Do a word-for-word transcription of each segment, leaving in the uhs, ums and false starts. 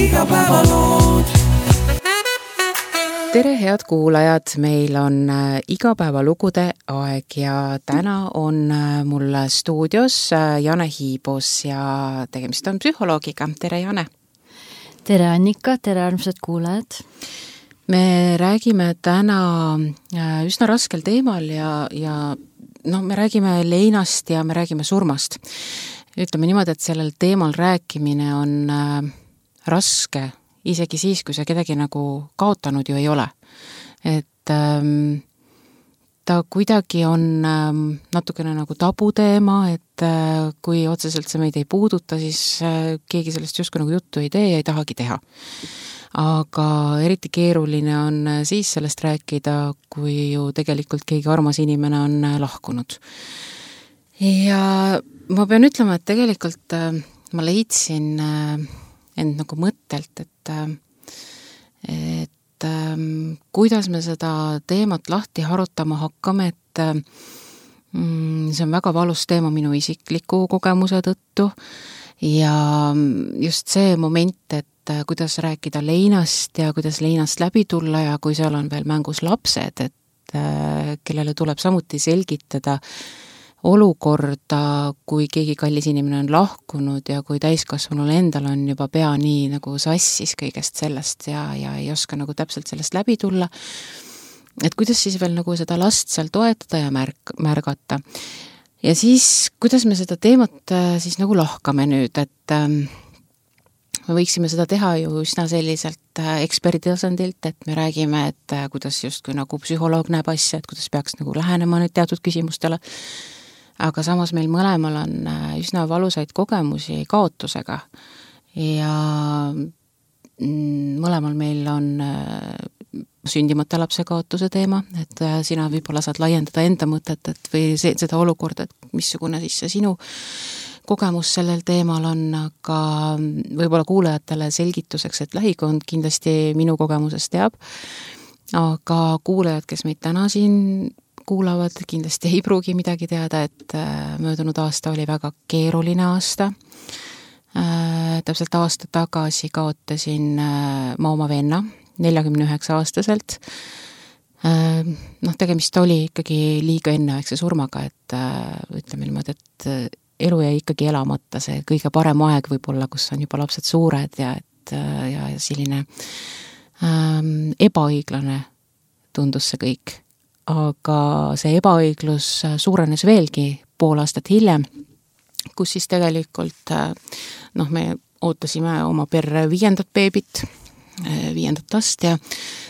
igapäevalood. Tere head kuulajad, meil on igapäevalugude aeg ja täna on mul stuudios Jane Hiibos ja tegemist on psühholoogiga. Tere Jane! Tere Annika, tere armsad kuulajad! Me räägime täna üsna raskel teemal ja, ja no, me räägime leinast ja me räägime surmast. Ütleme niimoodi, et sellel teemal rääkimine on raske, isegi siis, kui see kedagi nagu kaotanud ju ei ole. Et ähm, ta kuidagi on ähm, natukene nagu tabuteema, et äh, kui otseselt see meid ei puuduta, siis äh, keegi sellest justkui nagu juttu ei tee ja ei tahagi teha. Aga eriti keeruline on siis sellest rääkida, kui ju tegelikult keegi armas inimene on lahkunud. Ja ma pean ütlema, et tegelikult äh, ma leidsin äh, end nagu mõttelt, et, et ähm, kuidas me seda teemat lahti harutama hakkame, et mm, see on väga valus teema minu isikliku kogemuse tõttu ja just see moment, et kuidas rääkida leinast ja kuidas leinast läbi tulla ja kui seal on veel mängus lapsed, et äh, kellele tuleb samuti selgitada olukorda, kui keegi kallis inimene on lahkunud ja kui täiskasvanul endal on juba pea nii nagu sassis kõigest sellest ja, ja ei oska nagu täpselt sellest läbi tulla. Et kuidas siis veel nagu seda last seal toetada ja märk, märgata. Ja siis, kuidas me seda teemat siis nagu lahkame nüüd, et ähm, me võiksime seda teha ju üsna selliselt eksperdi tasandilt, et me räägime, et kuidas justkui nagu psühholoog näeb asja, et kuidas peaks nagu lähenema nüüd teatud küsimustele. Aga samas meil mõlemal on üsna valusaid kogemusi kaotusega ja mõlemal meil on sündimata lapse kaotuse teema, et sina võib-olla saad laiendada enda mõtet et või see, seda olukorda, et missugune siis see sinu kogemus sellel teemal on, aga võib-olla kuulajatele selgituseks, et lähikond kindlasti minu kogemusest teab, aga kuulajad, kes meid täna siin kuulavad, kindlasti ei pruugi midagi teada, et möödunud aasta oli väga keeruline aasta. Täpselt aasta tagasi kaotasin ma oma venna neljakümne üheksa aastaselt. Noh, tegemist oli ikkagi liiga enneaegse surmaga, et ütleme niimoodi, et elu jäi ikkagi elamata, see kõige parem aeg võib-olla, kus on juba lapsed suured ja, et, ja selline ähm, ebaõiglane tundus see kõik. Aga see ebaõiglus suurenes veelgi pool aastat hiljem, kus siis tegelikult noh, me ootasime oma perre viiendat beebit, viiendat last ja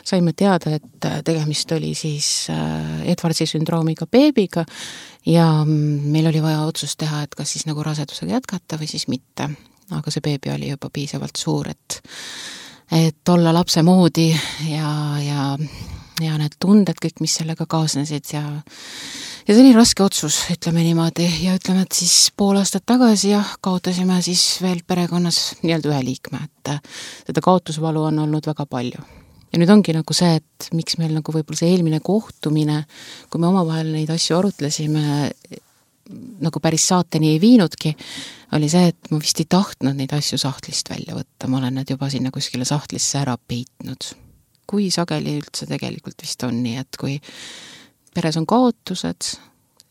saime teada, et tegemist oli siis Edwardsi sündroomiga beebiga ja meil oli vaja otsust teha, et kas siis nagu rasedusega jätkata või siis mitte. Aga see beebi oli juba piisavalt suur, et, et olla lapse moodi ja, ja ja need tunded kõik, mis sellega kaasnesid ja, ja see oli raske otsus, ütleme niimoodi, ja ütleme, et siis pool aastat tagasi jah, kaotasime siis veel perekonnas nii-öelda ühe liikme, et seda kaotusvalu on olnud väga palju. Ja nüüd ongi nagu see, et miks meil nagu võib-olla see eelmine kohtumine, kui me omavahel neid asju arutlesime, nagu päris saateni ei viinudki, oli see, et ma vist ei tahtnud neid asju sahtlist välja võtta, ma olen need juba sinna kuskile sahtlisse ära peitnud. Kui sageli üldse tegelikult vist on nii, et kui peres on kaotused,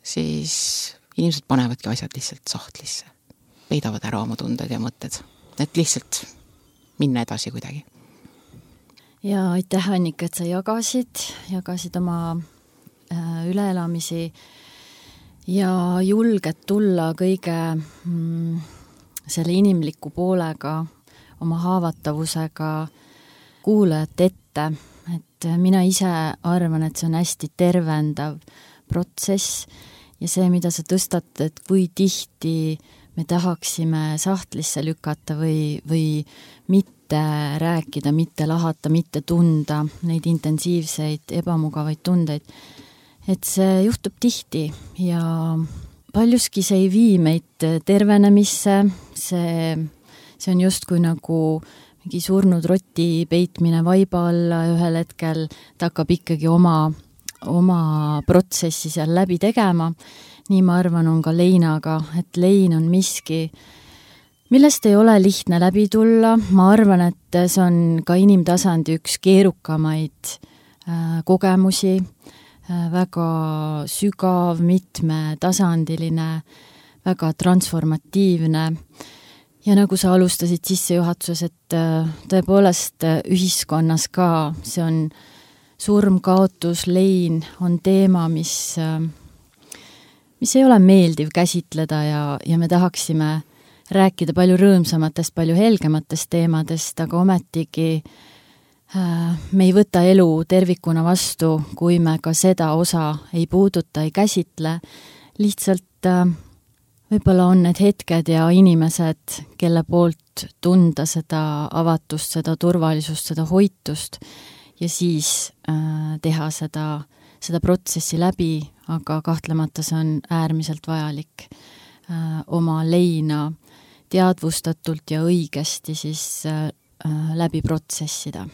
siis inimesed panevadki asjad lihtsalt sahtlisse. Peidavad ära oma tunded ja mõtted. Et lihtsalt minna edasi kuidagi. Ja aitäh, Annika, et sa jagasid, jagasid oma äh, üleelamisi ja julged tulla kõige mm, selle inimliku poolega, oma haavatavusega kuulajat ette, et mina ise arvan, et see on hästi tervendav protsess ja see, mida sa tõstatad, kui tihti me tahaksime sahtlisse lükata või, või mitte rääkida, mitte lahata, mitte tunda neid intensiivseid, ebamugavaid tundeid. Et see juhtub tihti ja paljuski see ei vii meid tervenemisse, see, see on justkui nagu mingi surnud roti peitmine vaiba alla ühel hetkel, ta hakkab ikkagi oma, oma protsessi seal läbi tegema. Nii ma arvan on ka leinaga, et lein on miski, millest ei ole lihtne läbi tulla, ma arvan, et see on ka inimtasandi üks keerukamaid äh, kogemusi, äh, väga sügav, mitmetasandiline, väga transformatiivne ja nagu sa alustasid sissejuhatuses, et äh, tõepoolest äh, ühiskonnas ka see on surm, kaotus, lein on teema, mis, äh, mis ei ole meeldiv käsitleda ja, ja me tahaksime rääkida palju rõõmsamatest, palju helgematest teemadest, aga ometigi äh, me ei võta elu tervikuna vastu, kui me ka seda osa ei puuduta, ei käsitle. Lihtsalt äh, võib-olla on need hetked ja inimesed, kelle poolt tunda seda avatust, seda turvalisust, seda hoitust ja siis äh, teha seda, seda protsessi läbi, aga kahtlemata see on äärmiselt vajalik äh, oma leina teadvustatult ja õigesti siis äh, läbi protsessida.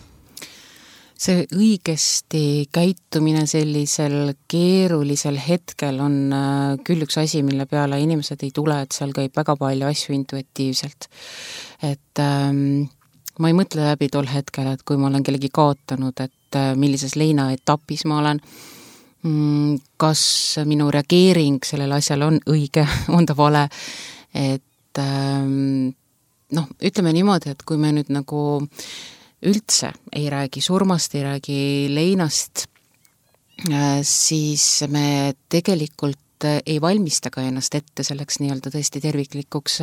See õigesti käitumine sellisel keerulisel hetkel on äh, küll üks asi, mille peale inimesed ei tule, et seal käib väga palju asju intuitiivselt. Et ähm, ma ei mõtle läbi tol hetkel, et kui ma olen kellegi kaotanud, et äh, millises leina etapis ma olen, mm, kas minu reageering sellele asjale on õige, on ta vale, et noh, ütleme niimoodi, et kui me nüüd nagu üldse ei räägi surmast, ei räägi leinast, siis me tegelikult ei valmista ka ennast ette selleks nii-öelda tõesti terviklikuks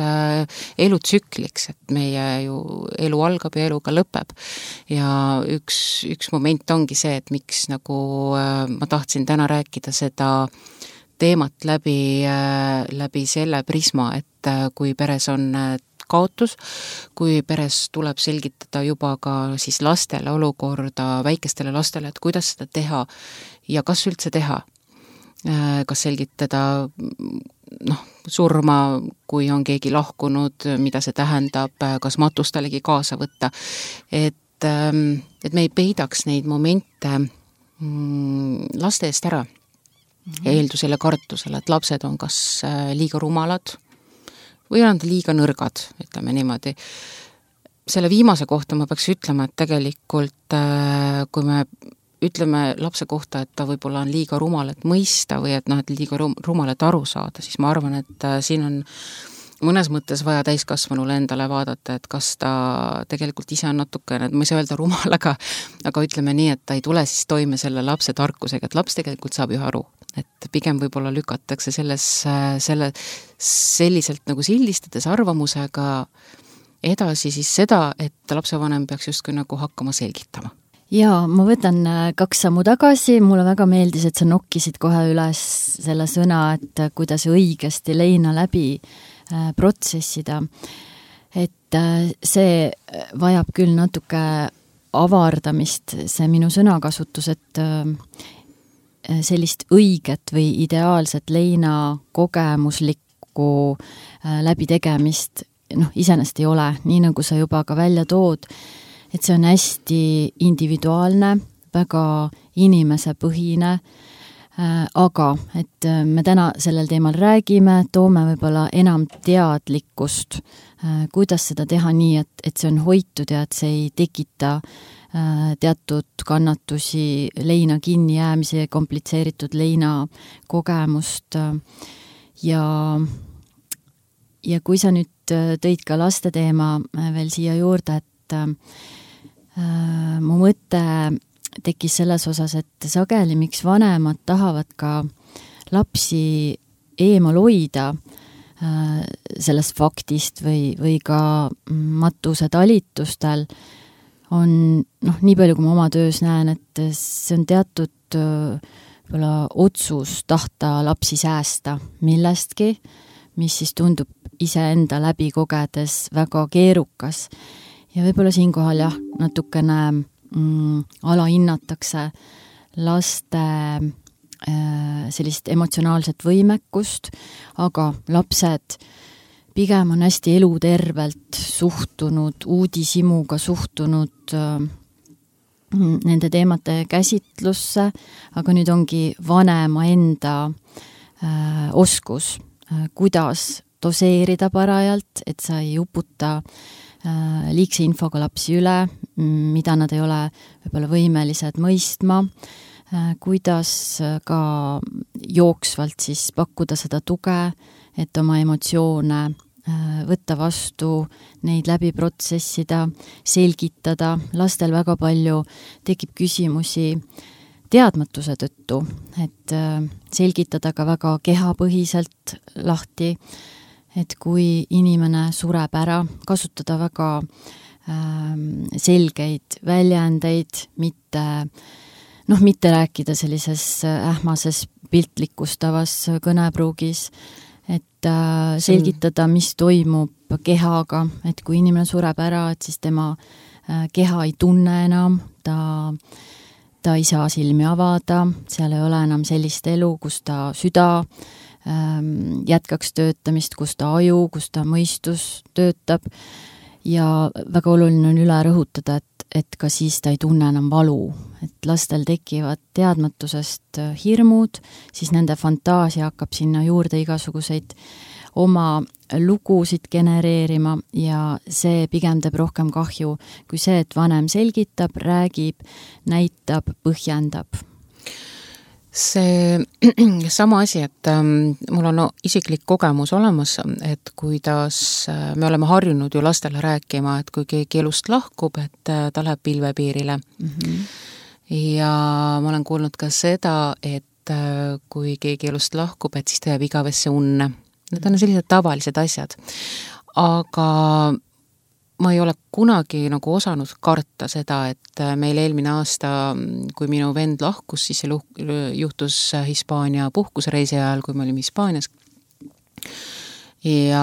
elutsükliks, et meie ju elu algab ja elu ka lõpeb. Ja üks, üks moment ongi see, et miks nagu ma tahtsin täna rääkida seda teemat läbi, läbi selle prisma, et kui peres on kaotus, kui peres tuleb selgitada juba ka siis lastele olukorda, väikestele lastele, et kuidas seda teha ja kas üldse teha. Kas selgitada noh, surma, kui on keegi lahkunud, mida see tähendab, kas matustalegi kaasa võtta. Et, et me ei peidaks neid momente laste eest ära. Ja eeldusele kartusele, et lapsed on kas liiga rumalad või on liiga nõrgad, ütleme niimoodi. Selle viimase kohta ma peaks ütlema, et tegelikult kui me ütleme lapse kohta, et ta võib-olla on liiga rumal, et mõista või et, noh, et liiga rumal, et aru saada, siis ma arvan, et siin on mõnes mõttes vaja täiskasvanule endale vaadata, et kas ta tegelikult ise on natukene, et ma ei saa öelda rumal, aga, aga ütleme nii, et ta ei tule siis toime selle lapse tarkusega, et laps tegelikult saab ju aru, et pigem võib-olla lükatakse selles, selle, selliselt nagu sildistades arvamusega edasi siis seda, et lapsevanem peaks justkui nagu hakkama selgitama. Jaa, ma võtan kaks sammu tagasi, mulle väga meeldis, et sa nokkisid kohe üles selle sõna, et kuidas õigesti leina läbi protsessida. Et see vajab küll natuke avardamist, see minu sõnakasutus, et sellist õiget või ideaalset leina kogemuslikku läbitegemist noh, iseenesest ei ole, nii nagu sa juba ka välja tood, et see on hästi individuaalne, väga inimesepõhine, aga et me täna sellel teemal räägime, toome võib-olla enam teadlikkust, kuidas seda teha nii, et, et see on hoitud ja et see ei tekita teatud kannatusi, leina kinni jäämise, komplitseeritud leina kogemust ja, ja kui sa nüüd tõid ka laste teema veel siia juurde, et äh, mu mõte tekkis selles osas, et sageli miks vanemad tahavad ka lapsi eemal hoida äh, sellest faktist või, või ka matuse talitustel on, noh, nii palju kui ma oma töös näen, et see on teatud äh, otsus tahta lapsi säästa millestki, mis siis tundub iseenda läbi kogedes väga keerukas. Ja võib-olla siinkohal jah, natukene mm, alahinnatakse laste äh, sellist emotsionaalset võimekust, aga lapsed pigem on hästi elutervelt suhtunud, uudishimuga suhtunud äh, nende teemate käsitlusse, aga nüüd ongi vanema enda äh, oskus, äh, kuidas doseerida parajalt, et sa ei uputa liigse infoga lapsi üle, mida nad ei ole võib-olla võimelised mõistma, kuidas ka jooksvalt siis pakkuda seda tuge, et oma emotsioone võtta vastu, neid läbi protsessida, selgitada. Lastel väga palju tekib küsimusi teadmatuse tõttu, et selgitada ka väga kehapõhiselt lahti, et kui inimene sureb ära, kasutada väga ähm, selgeid väljendeid, mitte, noh, mitte rääkida sellises ähmases piltlikustavas kõnepruugis, et äh, selgitada, mis toimub kehaga, et kui inimene sureb ära, et siis tema äh, keha ei tunne enam, ta, ta ei saa silmi avada, seal ei ole enam sellist elu, kus ta süda jätkaks töötamist, kus ta aju, kus ta mõistus töötab ja väga oluline on üle rõhutada, et, et ka siis ta ei tunne enam valu, et lastel tekivad teadmatusest hirmud, siis nende fantaasia hakkab sinna juurde igasuguseid oma lugusid genereerima ja see pigem teeb rohkem kahju kui see, et vanem selgitab, räägib, näitab, põhjendab. See sama asi, et ähm, mul on no, isiklik kogemus olemas, et kuidas äh, me oleme harjunud ju lastele rääkima, et kui keegi elust lahkub, et äh, ta läheb pilvepiirile. Mm-hmm. Ja ma olen kuulnud ka seda, et äh, kui keegi elust lahkub, et siis ta jääb igavesse unne. Need on sellised tavalised asjad. Aga ma ei ole kunagi nagu osanud karta seda, et meil eelmine aasta, kui minu vend lahkus, siis see juhtus Hispaania puhkusreisi ajal, kui me olime Hispaanias. Ja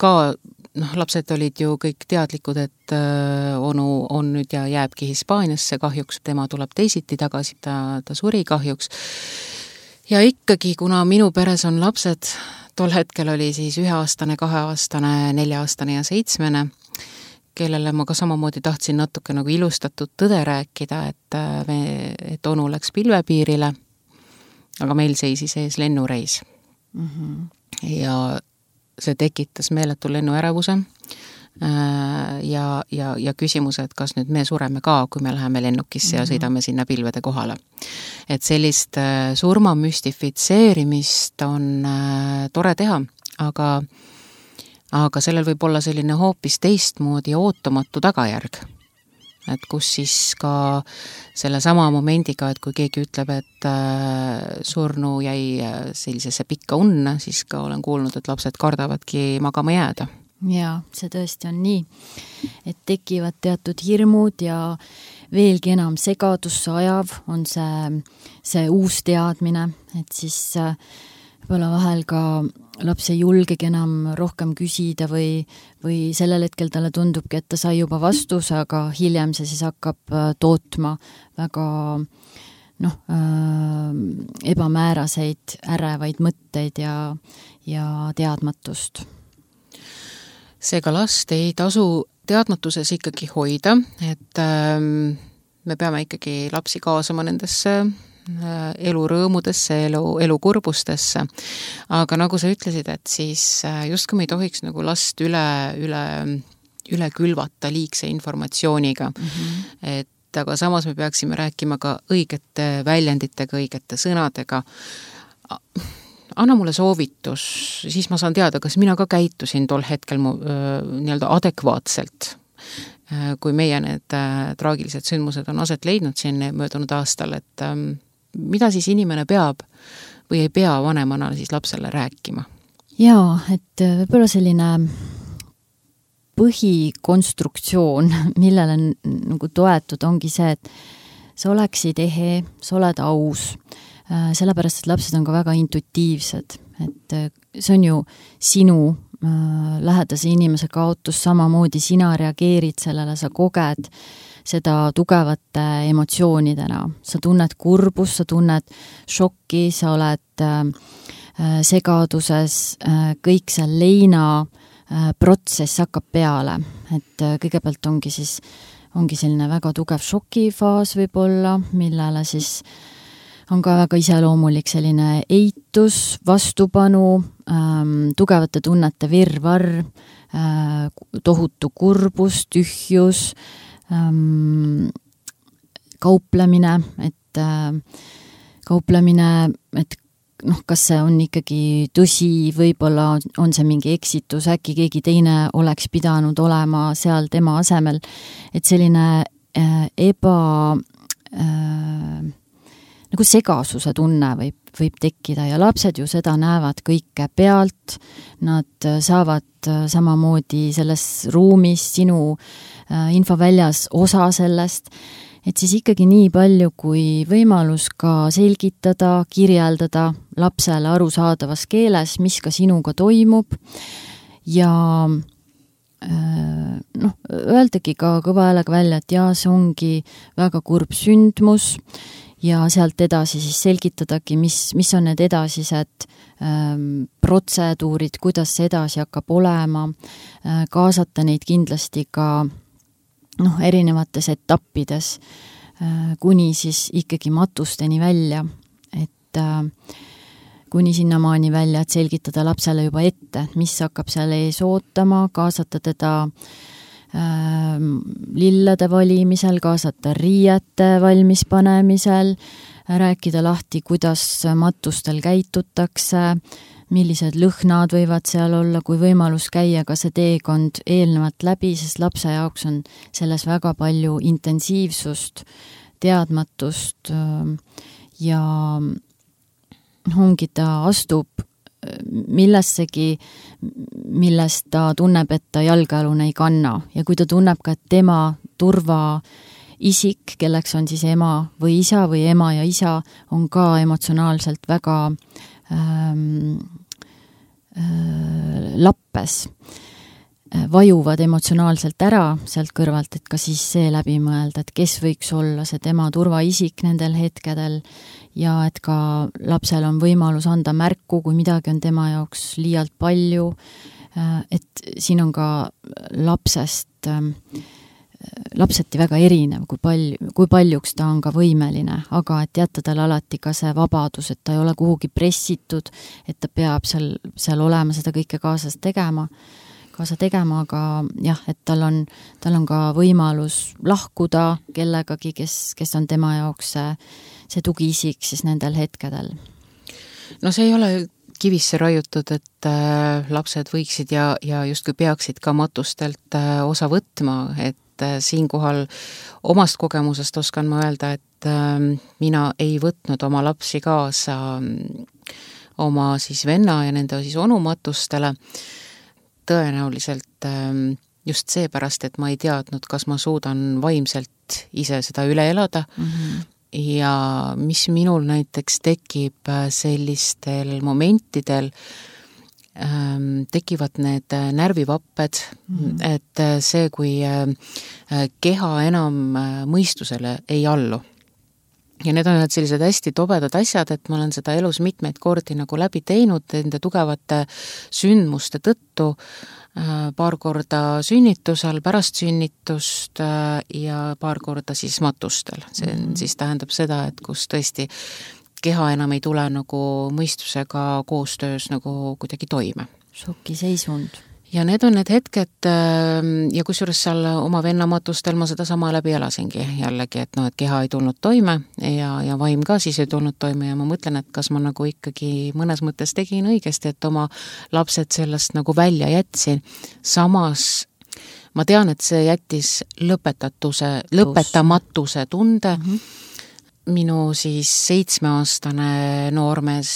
ka noh, lapsed olid ju kõik teadlikud, et onu on nüüd ja jääbki Hispaaniasse, kahjuks tema tuleb teisiti tagasi, ta, ta suri kahjuks. Ja ikkagi, kuna minu peres on lapsed, tol hetkel oli siis üheaastane, kaheaastane, nelja-aastane ja seitsmene, kellele ma ka samamoodi tahtsin natuke nagu ilustatud tõde rääkida, et, me, et onu läks pilvepiirile, aga meil seisis ees lennureis. Mm-hmm. Ja see tekitas meeletu lennuärevuse ja, ja, ja küsimuse, et kas nüüd me sureme ka, kui me läheme lennukisse mm-hmm. ja sõidame sinna pilvede kohale. Et sellist surma müstifitseerimist on tore teha, aga, aga sellel võib olla selline hoopis teistmoodi ootamatu tagajärg. Et kus siis ka selle sama momendiga, et kui keegi ütleb, et surnu jäi sellisesse pikka unne, siis ka olen kuulnud, et lapsed kardavadki magama jääda. Jaa, see tõesti on nii, et tekivad teatud hirmud ja veelgi enam segadusse ajav on see, see uus teadmine, et siis võib-olla vahel ka laps ei julgegi enam rohkem küsida või, või sellel hetkel talle tundubki, et ta sai juba vastuse, aga hiljem see siis hakkab tootma väga noh, äh, ebamääraseid, ärevaid mõtteid ja, ja teadmatust. Seega last ei tasu teadmatuses ikkagi hoida, et ähm, me peame ikkagi lapsi kaasama nendesse äh, elurõõmudesse, elu, elukurbustesse. Aga nagu sa ütlesid, et siis äh, just kui me ei tohiks nagu last üle, üle, üle külvata liigse informatsiooniga, mm-hmm. et aga samas me peaksime rääkima ka õigete väljenditega, õigete sõnadega. Anna mulle soovitus, siis ma saan teada, kas mina ka käitusin tol hetkel mu, öö, nii-öelda adekvaatselt, kui meie need äh, traagilised sündmused on aset leidnud siin möödunud aastal, et äh, mida siis inimene peab või ei pea vanemana siis lapsele rääkima? Jaa, et võib-olla selline põhikonstruktsioon, millele nagu toetud, ongi see, et sa oleksid ehe, sa oled aus, sellepärast, et lapsed on ka väga intuitiivsed, et see on ju sinu äh, lähedase inimese kaotus, samamoodi sina reageerid sellele, sa koged seda tugevate emotsioonidena, sa tunned kurbus, sa tunned šokki, sa oled äh, segaduses, äh, kõik see leina äh, protsess hakkab peale, et äh, kõigepealt ongi siis ongi selline väga tugev šokifaas võib-olla, millele siis on ka väga iseloomulik selline eitus, vastupanu, ähm, tugevate tunnete virvarr, äh, tohutu kurbus, tühjus, ähm, kauplemine, et äh, kauplemine, et noh, kas see on ikkagi tõsi, võib-olla on see mingi eksitus, äkki keegi teine oleks pidanud olema seal tema asemel, et selline äh, eba äh, nagu segasuse tunne võib, võib tekkida ja lapsed ju seda näevad kõike pealt, nad saavad samamoodi selles ruumis sinu infoväljas osa sellest, et siis ikkagi nii palju kui võimalus ka selgitada, kirjeldada lapsele arusaadavas keeles, mis ka sinuga toimub ja noh, öeldagi ka kõva häälega välja, et jaa, see ongi väga kurb sündmus ja sealt edasi siis selgitadagi, mis, mis on need edasised ähm, protseduurid, kuidas see edasi hakkab olema, äh, kaasata neid kindlasti ka noh, erinevates etappides, äh, kuni siis ikkagi matusteni välja, et äh, kuni sinnamaani välja, et selgitada lapsele juba ette, mis hakkab seal ees ootama, kaasata teda lillede valimisel, kaasata riiete valmis panemisel, rääkida lahti, kuidas matustel käitutakse, millised lõhnad võivad seal olla, kui võimalus käia ka see teekond eelnevalt läbi, sest lapse jaoks on selles väga palju intensiivsust, teadmatust ja ongi ta astub millessegi, millest ta tunneb, et ta jalgealune ei kanna ja kui ta tunneb ka, et tema turva isik, kelleks on siis ema või isa või ema ja isa, on ka emotsionaalselt väga ähm, äh, lappes, vajuvad emotsionaalselt ära sealt kõrvalt, et ka siis see läbi mõelda, et kes võiks olla see tema turvaisik nendel hetkedel ja et ka lapsel on võimalus anda märku, kui midagi on tema jaoks liialt palju, et siin on ka lapsest, lapseti väga erinev, kui palju, kui paljuks ta on ka võimeline, aga et jätta tal alati ka see vabadus, et ta ei ole kuhugi pressitud, et ta peab seal, seal olema seda kõike kaasas tegema, kaasa tegema, aga jah, et tal on, tal on ka võimalus lahkuda kellegagi, kes, kes on tema jaoks see, see tugiisik siis nendel hetkedel. No see ei ole kivisse raiutud, et äh, lapsed võiksid ja, ja justkui peaksid ka matustelt äh, osa võtma, et äh, siinkohal omast kogemusest oskan ma öelda, et äh, mina ei võtnud oma lapsi kaasa äh, oma siis venna ja nende siis onu matustele, tõenäoliselt just seepärast, et ma ei teadnud, kas ma suudan vaimselt ise seda üle elada mm-hmm. ja mis minul näiteks tekib sellistel momentidel, tekivad need närvivapped, mm-hmm. et see, kui keha enam mõistusele ei allu. Ja need on sellised hästi tobedad asjad, et ma olen seda elus mitmeid kordi nagu läbi teinud nende tugevate sündmuste tõttu, paar korda sünnitusel, pärast sünnitust ja paar korda siis matustel. See mm-hmm. siis tähendab seda, et kus tõesti keha enam ei tule nagu mõistusega koostöös nagu kuidagi toime. Šokiseisund. Ja need on need hetked ja kusjuures seal oma vennamatustel ma seda sama läbi elasingi jällegi, et no, et keha ei tulnud toime ja, ja vaim ka siis ei tulnud toime ja ma mõtlen, et kas ma nagu ikkagi mõnes mõttes tegin õigesti, et oma lapsed sellest nagu välja jätsin. Samas ma tean, et see jättis lõpetatuse, lõpetamatuse tunde. Mm-hmm. Minu siis seitsmeaastane noormees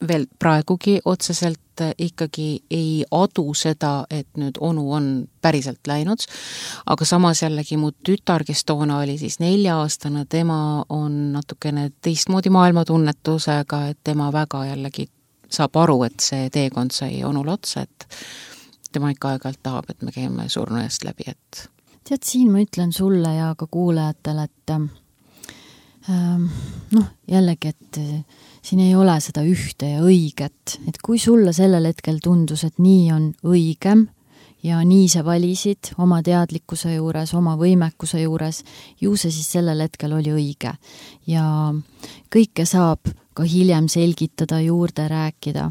veel praegugi otseselt ikkagi ei adu seda, et nüüd onu on päriselt läinud, aga samas jällegi mu tütar, kes toona oli siis nelja-aastane, tema on natukene teistmoodi maailmatunnetusega, et tema väga jällegi saab aru, et see teekond sai onul otsa, et tema ikka aeg-ajalt tahab, et me käime surnu eest läbi, et tead, siin ma ütlen sulle ja ka kuulajatele, et ähm, noh, jällegi, et siin ei ole seda ühte ja õiget, et kui sulle sellel hetkel tundus, et nii on õigem ja nii see valisid oma teadlikkuse juures, oma võimekuse juures, ju see siis sellel hetkel oli õige. Ja kõike saab ka hiljem selgitada, juurde rääkida.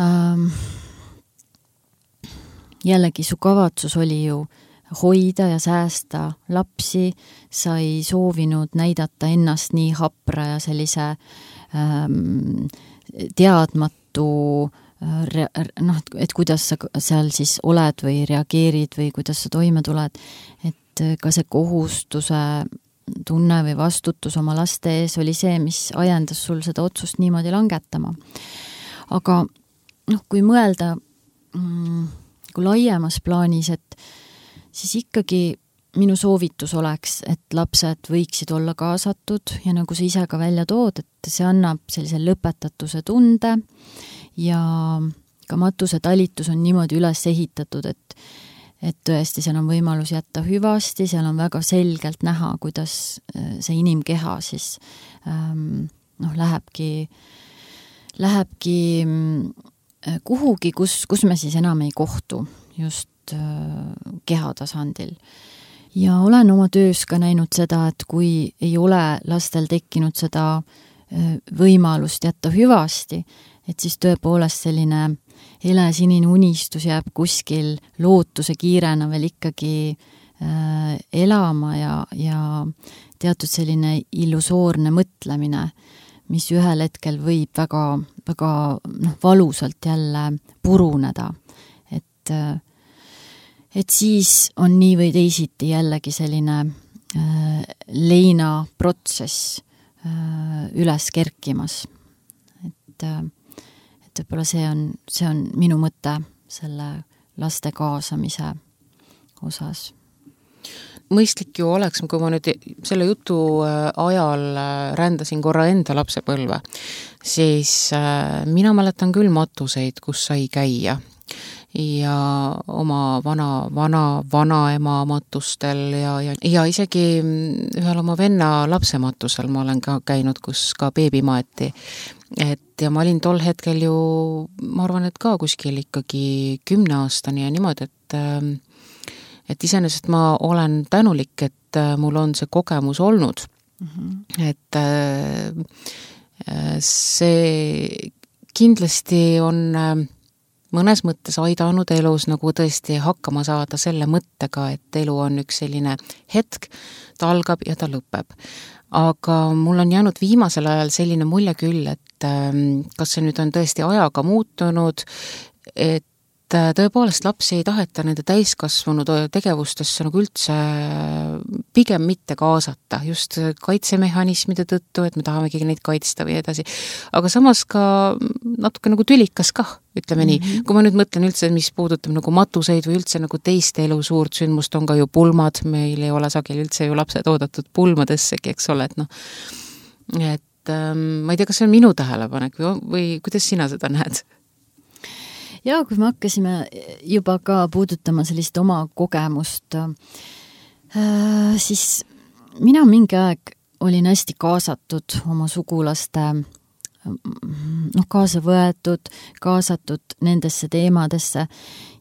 Ähm, jällegi su kavatsus oli ju hoida ja säästa lapsi, sa ei soovinud näidata ennast nii hapra ja sellise ähm, teadmatu re, noh, et kuidas sa seal siis oled või reageerid või kuidas sa toime tuled, et ka see kohustuse tunne või vastutus oma laste ees oli see, mis ajendas sul seda otsust niimoodi langetama. Aga noh, kui mõelda mm, kui laiemas plaanis, et siis ikkagi minu soovitus oleks, et lapsed võiksid olla kaasatud ja nagu sa ise ka välja tood, et see annab sellise lõpetatuse tunde ja ka matuse talitus on niimoodi üles ehitatud, et, et tõesti seal on võimalus jätta hüvasti, seal on väga selgelt näha, kuidas see inimkeha siis ähm, noh, lähebki, lähebki kuhugi, kus, kus me siis enam ei kohtu just keha tasandil. Ja olen oma töös ka näinud seda, et kui ei ole lastel tekkinud seda võimalust jätta hüvasti, et siis tõepoolest selline helesinine unistus jääb kuskil lootuse kiirena veel ikkagi äh, elama ja, ja teatud selline illusoorne mõtlemine, mis ühel hetkel võib väga, väga noh, valusalt jälle puruneda. Et äh, et siis on nii või teisiti jällegi selline äh, leina protsess äh, üles kerkimas. Et, äh, et võib-olla see on, see on minu mõte selle laste kaasamise osas. Mõistlik ju oleks, kui ma nüüd selle jutu ajal rändasin korra enda lapsepõlve, siis äh, mina mäletan küll matuseid, kus sai käia. Ja oma vana, vana, vanaema matustel ja, ja, ja isegi ühel oma venna lapsematusel ma olen ka käinud, kus ka beebi maeti. Et ja ma olin tol hetkel ju, ma arvan, et ka kuskil ikkagi kümne aastani ja niimoodi, et et iseenesest ma olen tänulik, et mul on see kogemus olnud. Mm-hmm. Et see kindlasti on mõnes mõttes aidanud elus nagu tõesti hakkama saada selle mõttega, et elu on üks selline hetk, ta algab ja ta lõpeb. Aga mul on jäänud viimasel ajal selline mulje küll, et kas see nüüd on tõesti ajaga muutunud, et tõepoolest lapsi ei taheta nende täiskasvanud tegevustesse nagu üldse pigem mitte kaasata, just kaitsemehhanismide tõttu, et me tahamegi neid kaitsta või edasi. Aga samas ka natuke nagu tülikas kah, ütleme mm-hmm. nii. Kui ma nüüd mõtlen üldse, mis puudutab nagu matuseid või üldse nagu teiste elu suurt sündmust, on ka ju pulmad, meil ei ole sageli üldse ju lapsed oodatud pulmadessegi, eks ole, et noh, et ähm, ma ei tea, kas see on minu tähelepanek või, või kuidas sina seda näed? Ja kui me hakkasime juba ka puudutama sellist oma kogemust, siis mina mingi aeg olin hästi kaasatud oma sugulaste, noh, kaasa võetud, kaasatud nendesse teemadesse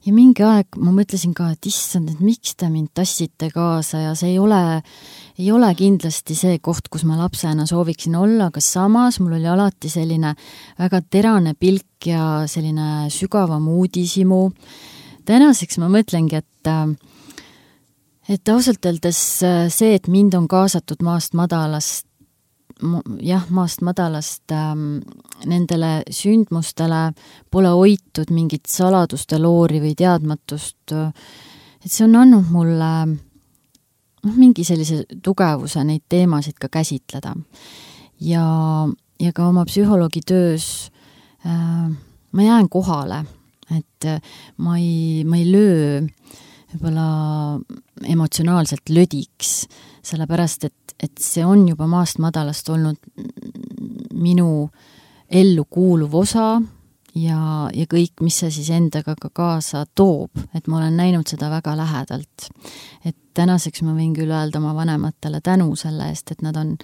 ja mingi aeg ma mõtlesin ka, et issand, et miks te mind tassite kaasa ja see ei ole, ei ole kindlasti see koht, kus ma lapsena sooviksin olla, aga samas mul oli alati selline väga terane pilk ja selline sügavam uudisimu. Tänaseks ma mõtlengi, et, et ausalt öeldes see, et mind on kaasatud maast madalast, jah, maast madalast ähm, nendele sündmustele pole hoitud mingit saladuste loori või teadmatust, et see on andnud mulle noh, mingi sellise tugevuse neid teemasid ka käsitleda. Ja, ja ka oma psühholoogi töös äh, ma jään kohale, et ma ei, ma ei löö võib-olla emotsionaalselt lödiks, sellepärast, et et see on juba maast madalast olnud minu ellu kuuluv osa ja, ja kõik, mis see siis endaga ka kaasa toob, et ma olen näinud seda väga lähedalt. Et tänaseks ma võin küll öelda oma vanematele tänu selle eest, et nad on,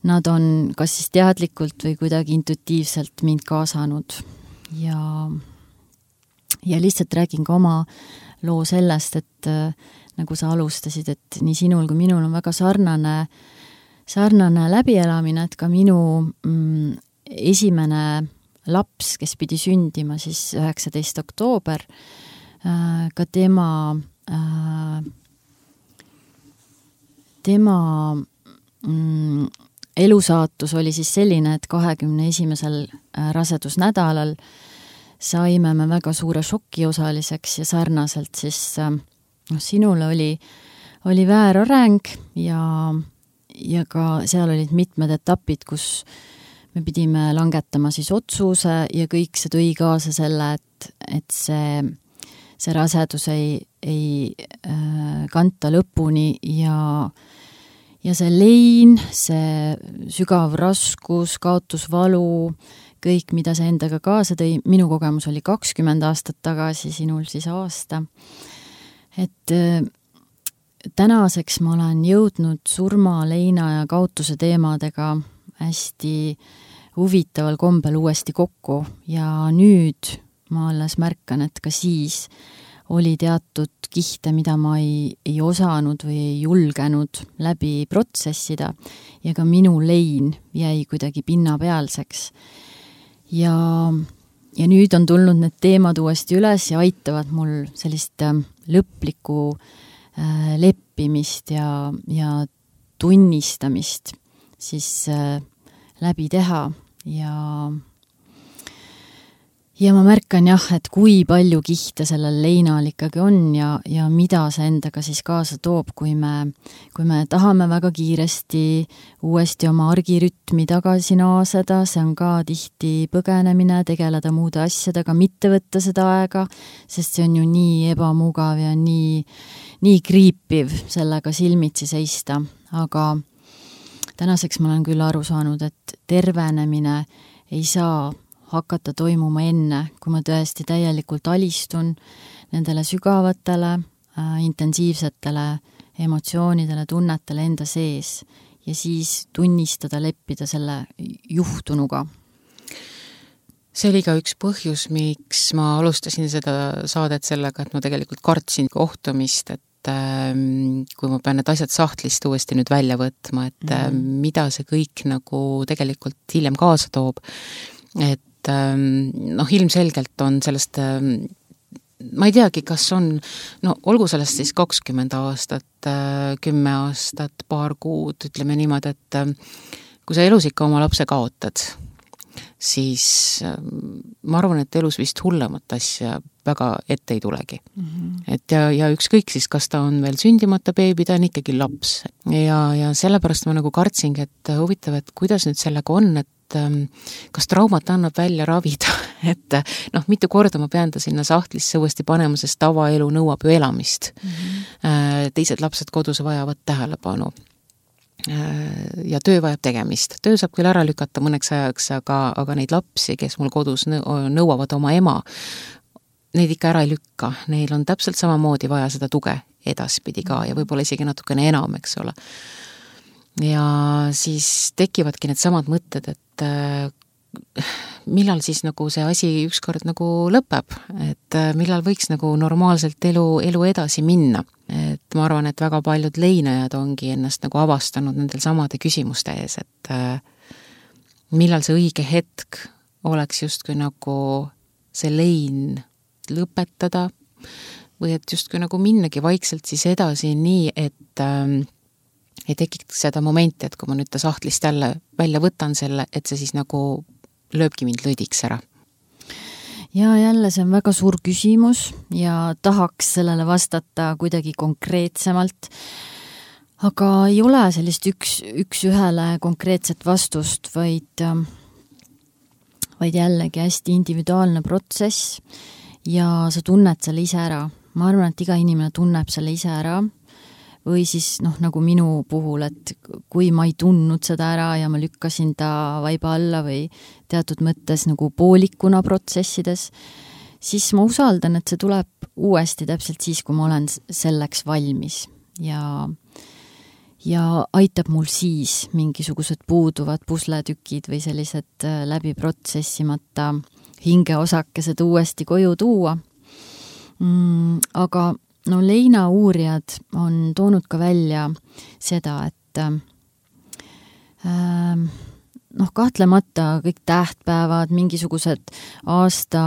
nad on kas siis teadlikult või kuidagi intuitiivselt mind kaasanud ja, ja lihtsalt räägin ka oma loo sellest, et äh, nagu sa alustasid, et nii sinul kui minul on väga sarnane, sarnane läbielamine, et ka minu mm, esimene laps, kes pidi sündima siis üheksateist oktoober, äh, ka tema äh, tema mm, elusaatus oli siis selline, et kahekümne esimesel rasedusnädalal saime me väga suure šoki osaliseks ja sarnaselt siis noh, sinule oli, oli väärareng ja, ja ka seal olid mitmed etapid, kus me pidime langetama siis otsuse ja kõik see tõi kaasa selle, et, et see, see rasedus ei, ei äh, kanta lõpuni ja Ja see lein, see sügav raskus, kaotusvalu, kõik, mida see endaga kaasa tõi, minu kogemus oli kakskümmend aastat tagasi, sinul siis aasta. Et äh, tänaseks ma olen jõudnud surma, leina ja kaotuse teemadega hästi huvitaval kombel uuesti kokku ja nüüd ma alles märkan, et ka siis oli teatud kihte, mida ma ei, ei osanud või ei julgenud läbi protsessida ja ka minu lein jäi kuidagi pinnapealseks. Ja, ja nüüd on tulnud need teemad uuesti üles ja aitavad mul sellist lõplikku äh, leppimist ja, ja tunnistamist siis äh, läbi teha ja Ja ma märkan jah, et kui palju kihte sellel leinal ikkagi on ja, ja mida see endaga siis kaasa toob, kui me, kui me tahame väga kiiresti uuesti oma argirütmi tagasi naaseda, see on ka tihti põgenemine, tegeleda muude asjadega, mitte võtta seda aega, sest see on ju nii ebamugav ja nii, nii kriipiv sellega silmitsi seista, aga tänaseks ma olen küll aru saanud, et tervenemine ei saa hakata toimuma enne, kui ma tõesti täielikult alistun nendele sügavatele, äh, intensiivsetele emotsioonidele, tunnetele enda sees ja siis tunnistada, leppida selle juhtunuga. See oli ka üks põhjus, miks ma alustasin seda saadet sellega, et ma tegelikult kartsin kohtumist, et ähm, kui ma pean need asjad sahtlist uuesti nüüd välja võtma, et mm. äh, mida see kõik nagu tegelikult hiljem kaasa toob, et noh, ilmselgelt on sellest, ma ei teagi, kas on, no olgu sellest siis kakskümmend aastat, kümme aastat, paar kuud, ütleme niimoodi, et kui sa elus ikka oma lapse kaotad, siis ma arvan, et elus vist hullemat asja väga ette ei tulegi. Mm-hmm. Et ja, ja ükskõik siis, kas ta on veel sündimata beebi, ta on ikkagi laps. Ja, ja sellepärast ma nagu kartsingi, et huvitav, et kuidas nüüd sellega on, et kas traumat annab välja ravida, et noh, mitu korda ma pean ta sinna sahtlisse uuesti panema, sest tavaelu nõuab ju elamist. Mm-hmm. Teised lapsed kodus vajavad tähelepanu ja töö vajab tegemist. Töö saab küll ära lükata mõneks ajaks, aga, aga neid lapsi, kes mul kodus nõuavad oma ema, neid ikka ära ei lükka. Neil on täpselt samamoodi vaja seda tuge edaspidi ka ja võib-olla isegi natukene enam, eks ole. Ja siis tekivadki need samad mõtted, et äh, millal siis nagu see asi ükskord nagu lõpeb, et äh, millal võiks nagu normaalselt elu, elu edasi minna. Et ma arvan, et väga paljud leinajad ongi ennast nagu avastanud nendel samade küsimuste ees, et äh, millal see õige hetk oleks justkui nagu see lein lõpetada või et justkui nagu minnagi vaikselt siis edasi nii, et äh, ei tekiks seda momenti, et kui ma nüüd ta sahtlist jälle välja võtan selle, et see siis nagu lööbki mind lõdiks ära. Ja jälle see on väga suur küsimus ja tahaks sellele vastata kuidagi konkreetsemalt, aga ei ole sellist üks, üks ühele konkreetset vastust, vaid, vaid jällegi hästi individuaalne protsess ja sa tunned selle ise ära. Ma arvan, et iga inimene tunneb selle ise ära, või siis noh, nagu minu puhul, et kui ma ei tundnud seda ära ja ma lükkasin ta vaiba alla või teatud mõttes nagu poolikuna protsessides, siis ma usaldan, et see tuleb uuesti täpselt siis, kui ma olen selleks valmis ja, ja aitab mul siis mingisugused puuduvad pusletükid või sellised läbi protsessimata hingeosakesed uuesti koju tuua. mm,. Aga no leina uurijad on toonud ka välja seda, et äh, noh, kahtlemata kõik tähtpäevad, mingisugused aasta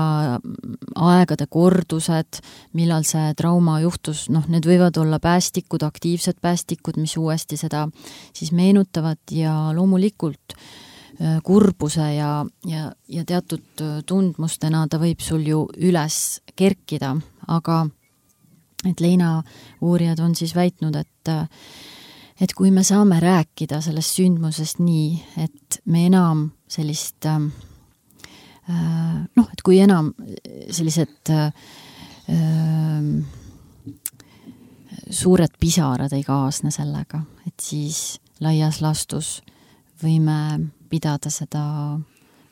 aegade kordused, millal see trauma juhtus, noh, need võivad olla päästikud, aktiivsed päästikud, mis uuesti seda siis meenutavad ja loomulikult kurbuse ja, ja, ja teatud tundmustena ta võib sul ju üles kerkida, aga et leina uurijad on siis väitnud, et et kui me saame rääkida sellest sündmusest nii, et me enam sellist äh, noh, et kui enam sellised äh, suured pisarad ei kaasne sellega, et siis laias lastus võime pidada seda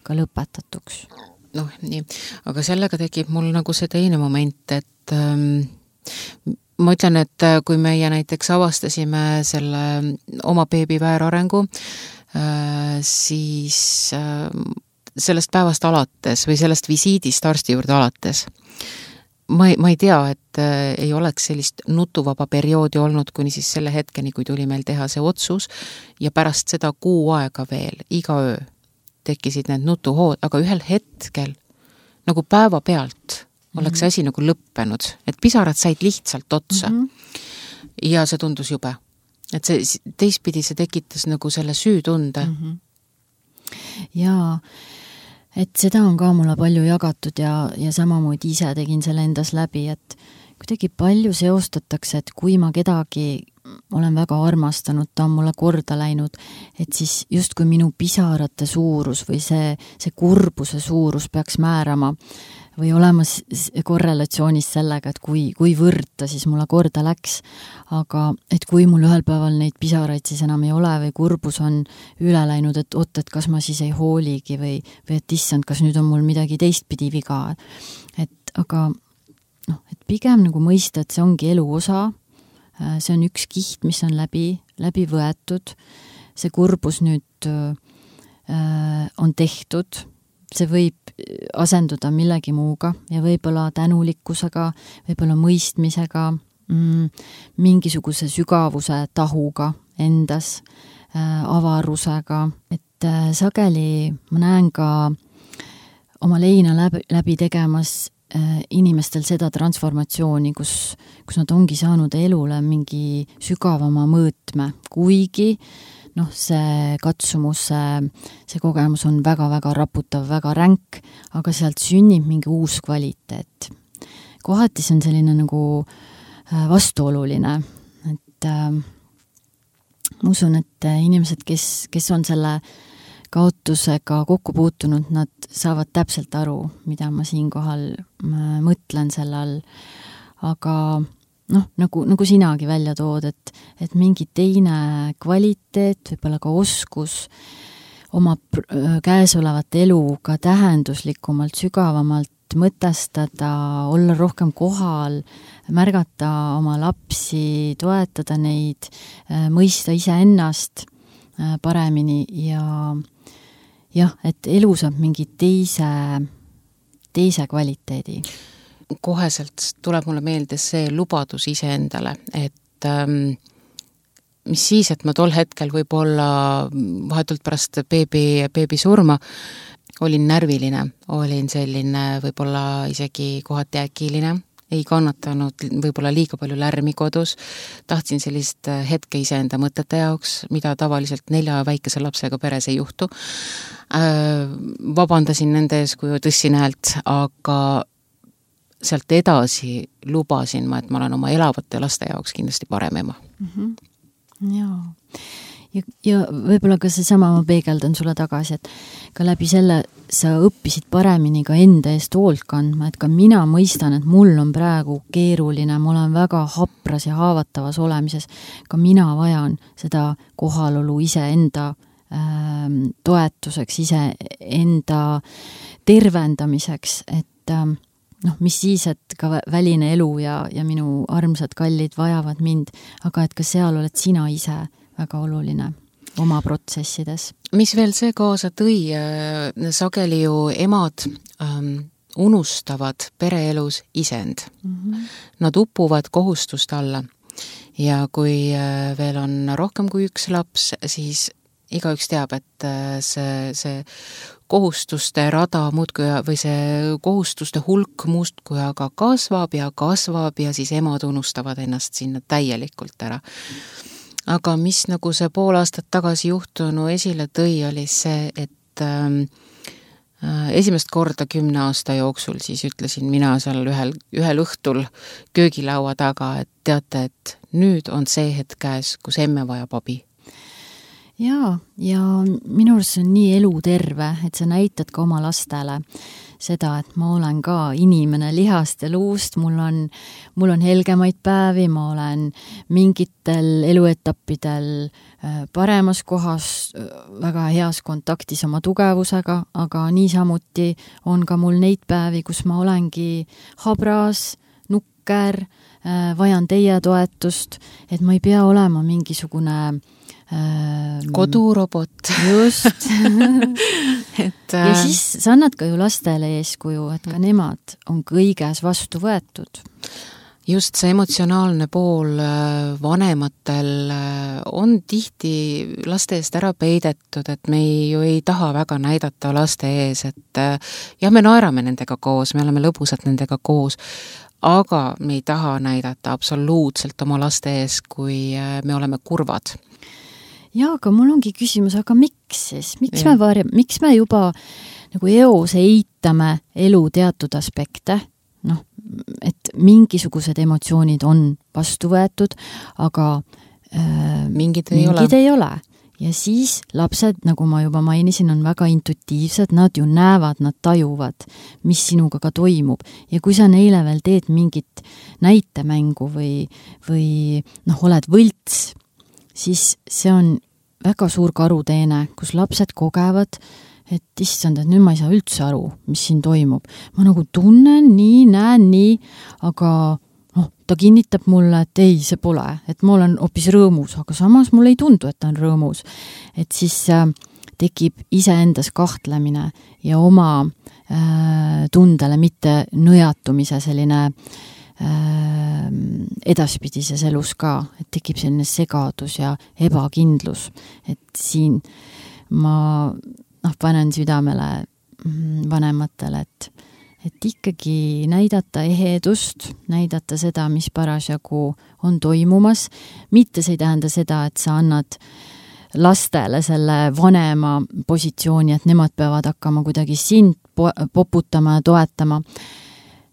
ka lõpetatuks. Noh, nii, aga sellega tekib mul nagu see teine moment, et ähm, ma ütlen, et kui meie näiteks avastasime selle oma beebi väärarengu, siis sellest päevast alates või sellest visiidist arsti juurde alates, ma ei, ma ei tea, et ei oleks sellist nutuvaba perioodi olnud kuni siis selle hetkeni, kui tuli meil teha see otsus ja pärast seda kuu aega veel, iga öö tekkisid need nutuhood, aga ühel hetkel nagu päeva pealt oleks mm-hmm. asi nagu lõppenud, et pisarad said lihtsalt otsa mm-hmm. ja see tundus jube. Et see teistpidi see tekitas nagu selle süütunde. Mm-hmm. Jaa, et seda on ka mulle palju jagatud ja, ja samamoodi ise tegin selle endas läbi, et kuidagi palju seostatakse, et kui ma kedagi olen väga armastanud, ta on mulle korda läinud, et siis just kui minu pisarate suurus või see, see kurbuse suurus peaks määrama või olema korrelatsioonis sellega, et kui, kui võrd ta siis mulle korda läks, aga et kui mul ühel päeval neid pisaraid siis enam ei ole või kurbus on üle läinud, et oot, et kas ma siis ei hooligi või, või et issand, kas nüüd on mul midagi teistpidi viga. Et aga noh, et pigem nagu mõista, et see ongi elu osa, see on üks kiht, mis on läbi, läbi võetud, see kurbus nüüd äh, on tehtud, see võib asenduda millegi muuga ja võib-olla tänulikkusega, võib-olla mõistmisega, mm, mingisuguse sügavuse tahuga endas, äh, avarusega, et äh, sageli ma näen ka oma leina läbi, läbi tegemas äh, inimestel seda transformatsiooni, kus, kus nad ongi saanud elule mingi sügavama mõõtme, kuigi noh, see katsumus, see, see kogemus on väga-väga raputav, väga ränk, aga sealt sünnib mingi uus kvaliteet. Kohati see on selline nagu vastuoluline, et äh, ma usun, et inimesed, kes, kes on selle kaotusega kokku puutunud, nad saavad täpselt aru, mida ma siinkohal mõtlen selle all, aga noh, nagu, nagu sinagi välja tood, et, et mingi teine kvaliteet, võib-olla ka oskus oma käesolevat elu ka tähenduslikumalt, sügavamalt mõtestada, olla rohkem kohal, märgata oma lapsi, toetada neid, mõista iseennast paremini ja jah, et elu saab mingi teise, teise kvaliteedi. Koheselt tuleb mulle meelde see lubadus iseendale, et ähm, mis siis, et ma tol hetkel võib-olla vahetult pärast beebi, beebi surma olin närviline, olin selline võib-olla isegi kohati äkiline, ei kannatanud võib-olla liiga palju lärmi kodus, tahtsin sellist hetke iseenda mõtete jaoks, mida tavaliselt nelja väikese lapsega peres ei juhtu. Äh, vabandasin nende ees, kui tõssin häält, aga sealt edasi lubasin ma, et ma olen oma elavate laste jaoks kindlasti parem ema. Mm-hmm. Jaa. Ja, ja võib-olla ka see sama ma peegeldan sulle tagasi, et ka läbi selle sa õppisid paremini ka enda eest hoolt kandma, et ka mina mõistan, et mul on praegu keeruline, ma olen väga hapras ja haavatavas olemises, ka mina vajan seda kohalolu iseenda äh, toetuseks, iseenda tervendamiseks, et äh, noh, mis siis, et ka väline elu ja, ja minu armsad kallid vajavad mind, aga et ka seal oled sina ise väga oluline oma protsessides. Mis veel see kaasa tõi, sageli ju emad ähm, unustavad pereelus isend. Mm-hmm. Nad upuvad kohustuste alla ja kui veel on rohkem kui üks laps, siis igaüks teab, et see, see kohustuste rada muudkui või see kohustuste hulk muudkui aga kasvab ja kasvab ja siis emad unustavad ennast sinna täielikult ära. Aga mis nagu see pool aastat tagasi juhtunu esile tõi, oli see, et ähm, esimest korda kümne aasta jooksul siis ütlesin mina seal ühel, ühel õhtul köögilaua taga, et teate, et nüüd on see hetk käes, kus emme vajab abi. Jaa, ja minu arust see on nii eluterve, et sa näitad ka oma lastele seda, et ma olen ka inimene lihast ja luust, mul on, mul on helgemaid päevi, ma olen mingitel eluetappidel paremas kohas, väga heas kontaktis oma tugevusega, aga niisamuti on ka mul neid päevi, kus ma olengi habras, nukker, vajan teie toetust, et ma ei pea olema mingisugune kodurobot. Just. et, ja siis sa annad ka ju lastele eeskuju, et ka nemad on kõiges vastu võetud. Just see emotsionaalne pool vanematel on tihti laste eest ära peidetud, et me ei, ju ei taha väga näidata laste ees, et jah, me naerame nendega koos, me oleme lõbusad nendega koos, aga me ei taha näidata absoluutselt oma laste ees, kui me oleme kurvad. Jaa, aga mul ongi küsimus, aga miks siis? Miks ja. me varjame, miks me juba nagu eos eitame elu teatud aspekte? Noh, et mingisugused emotsioonid on vastu võetud, aga äh, mingid, ei, mingid ole. ei ole. Ja siis lapsed, nagu ma juba mainisin, on väga intuitiivsed, nad ju näevad, nad tajuvad, mis sinuga ka toimub. Ja kui sa neile veel teed mingit näitemängu või, või noh, oled võlts, siis see on väga suur karuteene, kus lapsed kogevad, et issand, et nüüd ma ei saa üldse aru, mis siin toimub. Ma nagu tunnen nii, näen nii, aga noh, ta kinnitab mulle, et ei, see pole, et ma olen hoopis rõõmus, aga samas mulle ei tundu, et ta on rõõmus. Et siis äh, tekib iseendas kahtlemine ja oma äh, tundele mitte nõjatumise selline edaspidises elus ka, et tekib selline segadus ja ebakindlus, et siin ma noh, panen südamele vanematele, et, et ikkagi näidata ehedust, näidata seda, mis parasjagu on toimumas, mitte see ei tähenda seda, et sa annad lastele selle vanema positsiooni, et nemad peavad hakkama kuidagi sind poputama ja toetama.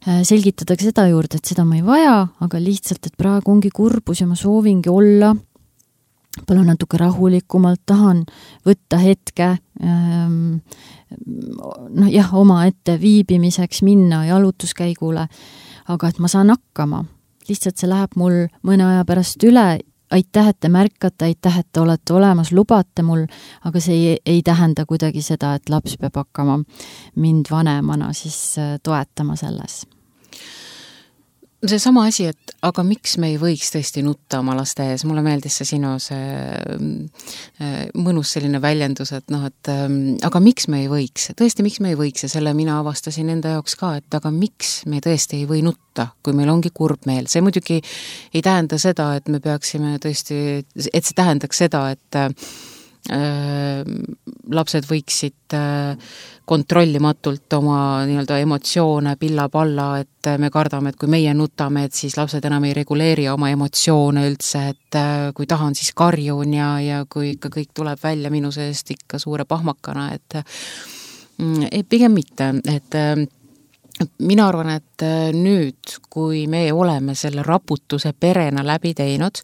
Selgitatakse seda juurde, et seda ma ei vaja, aga lihtsalt, et praegu ongi kurbus ja ma soovingi olla palju natuke rahulikumalt, tahan võtta hetke ähm, noh jah, oma ette viibimiseks minna jalutuskäigule, aga et ma saan hakkama. Lihtsalt see läheb mul mõne aja pärast üle, aitäh, et te märkate, aitäh, et te olete olemas, lubate mul, aga see ei, ei tähenda kuidagi seda, et laps peab hakkama mind vanemana siis toetama selles. See sama asi, et aga miks me ei võiks tõesti nutta oma laste ees? Mulle meeldis see sinu see mõnus selline väljendus, et noh, et aga miks me ei võiks? Tõesti, miks me ei võiks? Ja selle mina avastasin enda jaoks ka, et aga miks me tõesti ei või nutta, kui meil ongi kurb meel? See muidugi ei tähenda seda, et me peaksime tõesti, et see tähendaks seda, et äh, lapsed võiksid äh, kontrollimatult oma nii-öelda emotsioone pilla-palla, et me kardame, et kui meie nutame, et siis lapsed enam ei reguleeri oma emotsioone üldse, et kui tahan, siis karjun ja, ja kui ikka kõik tuleb välja minu seest ikka suure pahmakana, et et pigem mitte, et mina arvan, et nüüd, kui me oleme selle raputuse perena läbi teinud,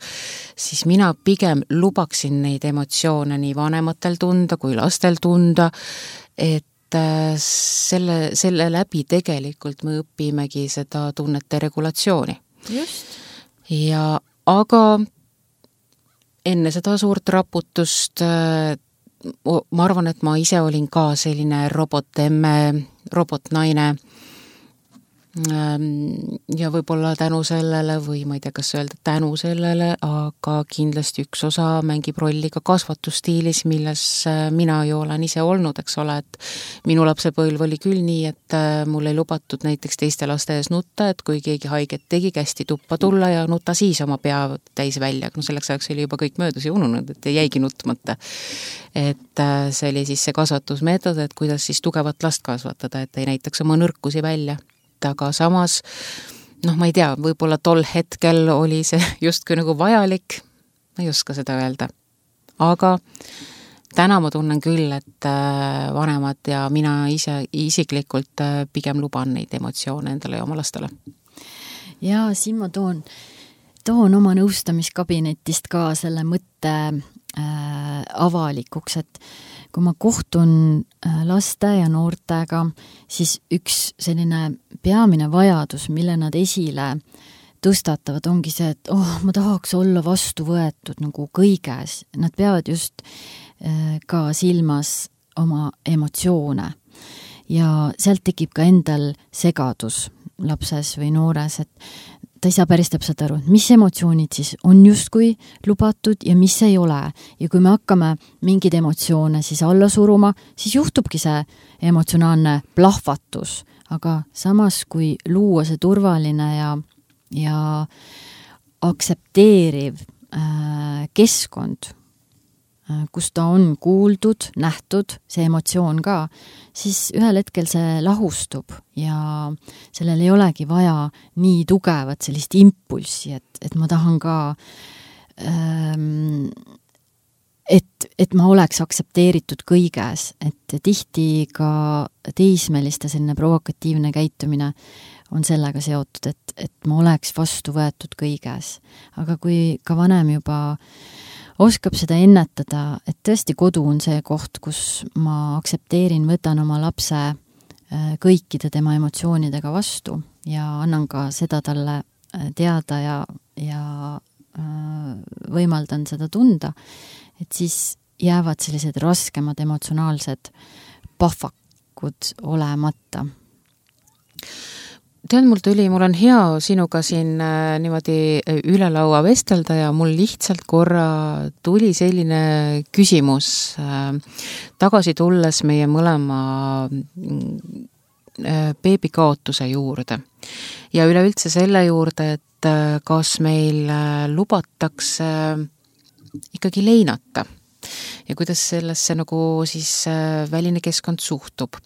siis mina pigem lubaksin neid emotsioone nii vanematel tunda kui lastel tunda, et selle, selle läbi tegelikult me õpimegi seda tunnete regulatsiooni. Just. Ja aga enne seda suurt raputust ma arvan, et ma ise olin ka selline robotemme, robotnaine, ja võib-olla tänu sellele või ma ei tea, kas öelda tänu sellele, aga kindlasti üks osa mängib rolli ka kasvatusstiilis, milles mina ju olen ise olnud, eks ole, et minu lapsepõlv oli küll nii, et mul ei lubatud näiteks teiste laste ees nutta, et kui keegi haiget tegi, kästi tuppa tulla ja nuta siis oma pea täis välja, no selleks ajaks oli juba kõik möödus ja ununud, et ei jäigi nutmata. Et see oli siis see kasvatusmeetod, et kuidas siis tugevat last kasvatada, et ei näitaks oma nõrkusi välja. Aga samas, noh, ma ei tea, võib-olla tol hetkel oli see justkui nagu vajalik, ma ei oska seda öelda. Aga täna ma tunnen küll, et vanemad ja mina ise isiklikult pigem luban neid emotsioone endale ja oma lastele. Ja siin ma toon, toon oma nõustamiskabinetist ka selle mõtte äh, avalikuks, et kui ma kohtun laste ja noortega, siis üks selline peamine vajadus, mille nad esile tõstatavad, ongi see, et oh, ma tahaks olla vastu võetud nagu kõiges. Nad peavad just ka silmas oma emotsioone ja sealt tekib ka endal segadus lapses või noores, et ta ei saa päris täpselt aru, mis emotsioonid siis on justkui lubatud ja mis ei ole. Ja kui me hakkame mingid emotsioone siis alla suruma, siis juhtubki see emotsionaalne plahvatus. Aga samas, kui luua see turvaline ja, ja aktsepteeriv äh, keskkond, äh, kus ta on kuuldud, nähtud, see emotsioon ka, siis ühel hetkel see lahustub ja sellel ei olegi vaja nii tugevat sellist impulssi, et, et ma tahan ka, ähm, et, et ma oleks aktsepteeritud kõiges, et tihti ka teismeliste selline provokatiivne käitumine on sellega seotud, et, et ma oleks vastu võetud kõiges. Aga kui ka vanem juba oskab seda ennetada, et tõesti kodu on see koht, kus ma aktsepteerin, võtan oma lapse kõikide tema emotsioonidega vastu ja annan ka seda talle teada ja, ja võimaldan seda tunda, et siis jäävad sellised raskemad emotsionaalsed pahvakud olemata. Tead, mul tuli, mul on hea sinuga siin äh, niimoodi üle laua vestelda ja mul lihtsalt korra tuli selline küsimus äh, tagasi tulles meie mõlema äh, beebikaotuse juurde. Ja üleüldse selle juurde, et äh, kas meil äh, lubatakse äh, ikkagi leinata ja kuidas sellesse nagu siis äh, väline keskkond suhtub.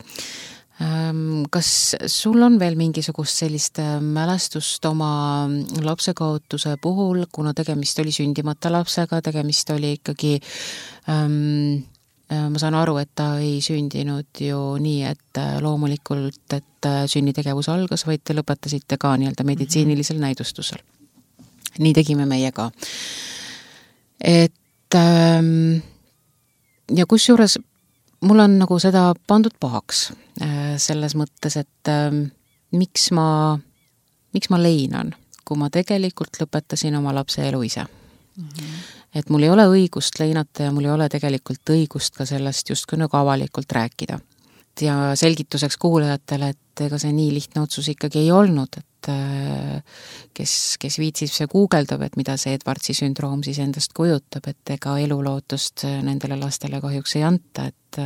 Kas sul on veel mingisugust sellist mälestust oma lapsekaotuse puhul, kuna tegemist oli sündimata lapsega, tegemist oli ikkagi, ähm, ma saan aru, et ta ei sündinud ju nii, et loomulikult, et sünnitegevus algas, vaid te lõpetasite ka nii-öelda meditsiinilisel näidustusel. Nii tegime meie ka. Et ähm, ja kus juures mul on nagu seda pandud pahaks selles mõttes, et äh, miks ma, miks ma leinan, kui ma tegelikult lõpetasin oma lapse elu ise. Mm-hmm. Et mul ei ole õigust leinata ja mul ei ole tegelikult õigust ka sellest just nagu avalikult rääkida. Ja selgituseks kuulajatele, et ega see nii lihtne otsus ikkagi ei olnud, et äh, kes, kes viitsib see guugeldab, et mida see Edwardsi sündroom siis endast kujutab, et ega elulootust nendele lastele kahjuks ei anta, et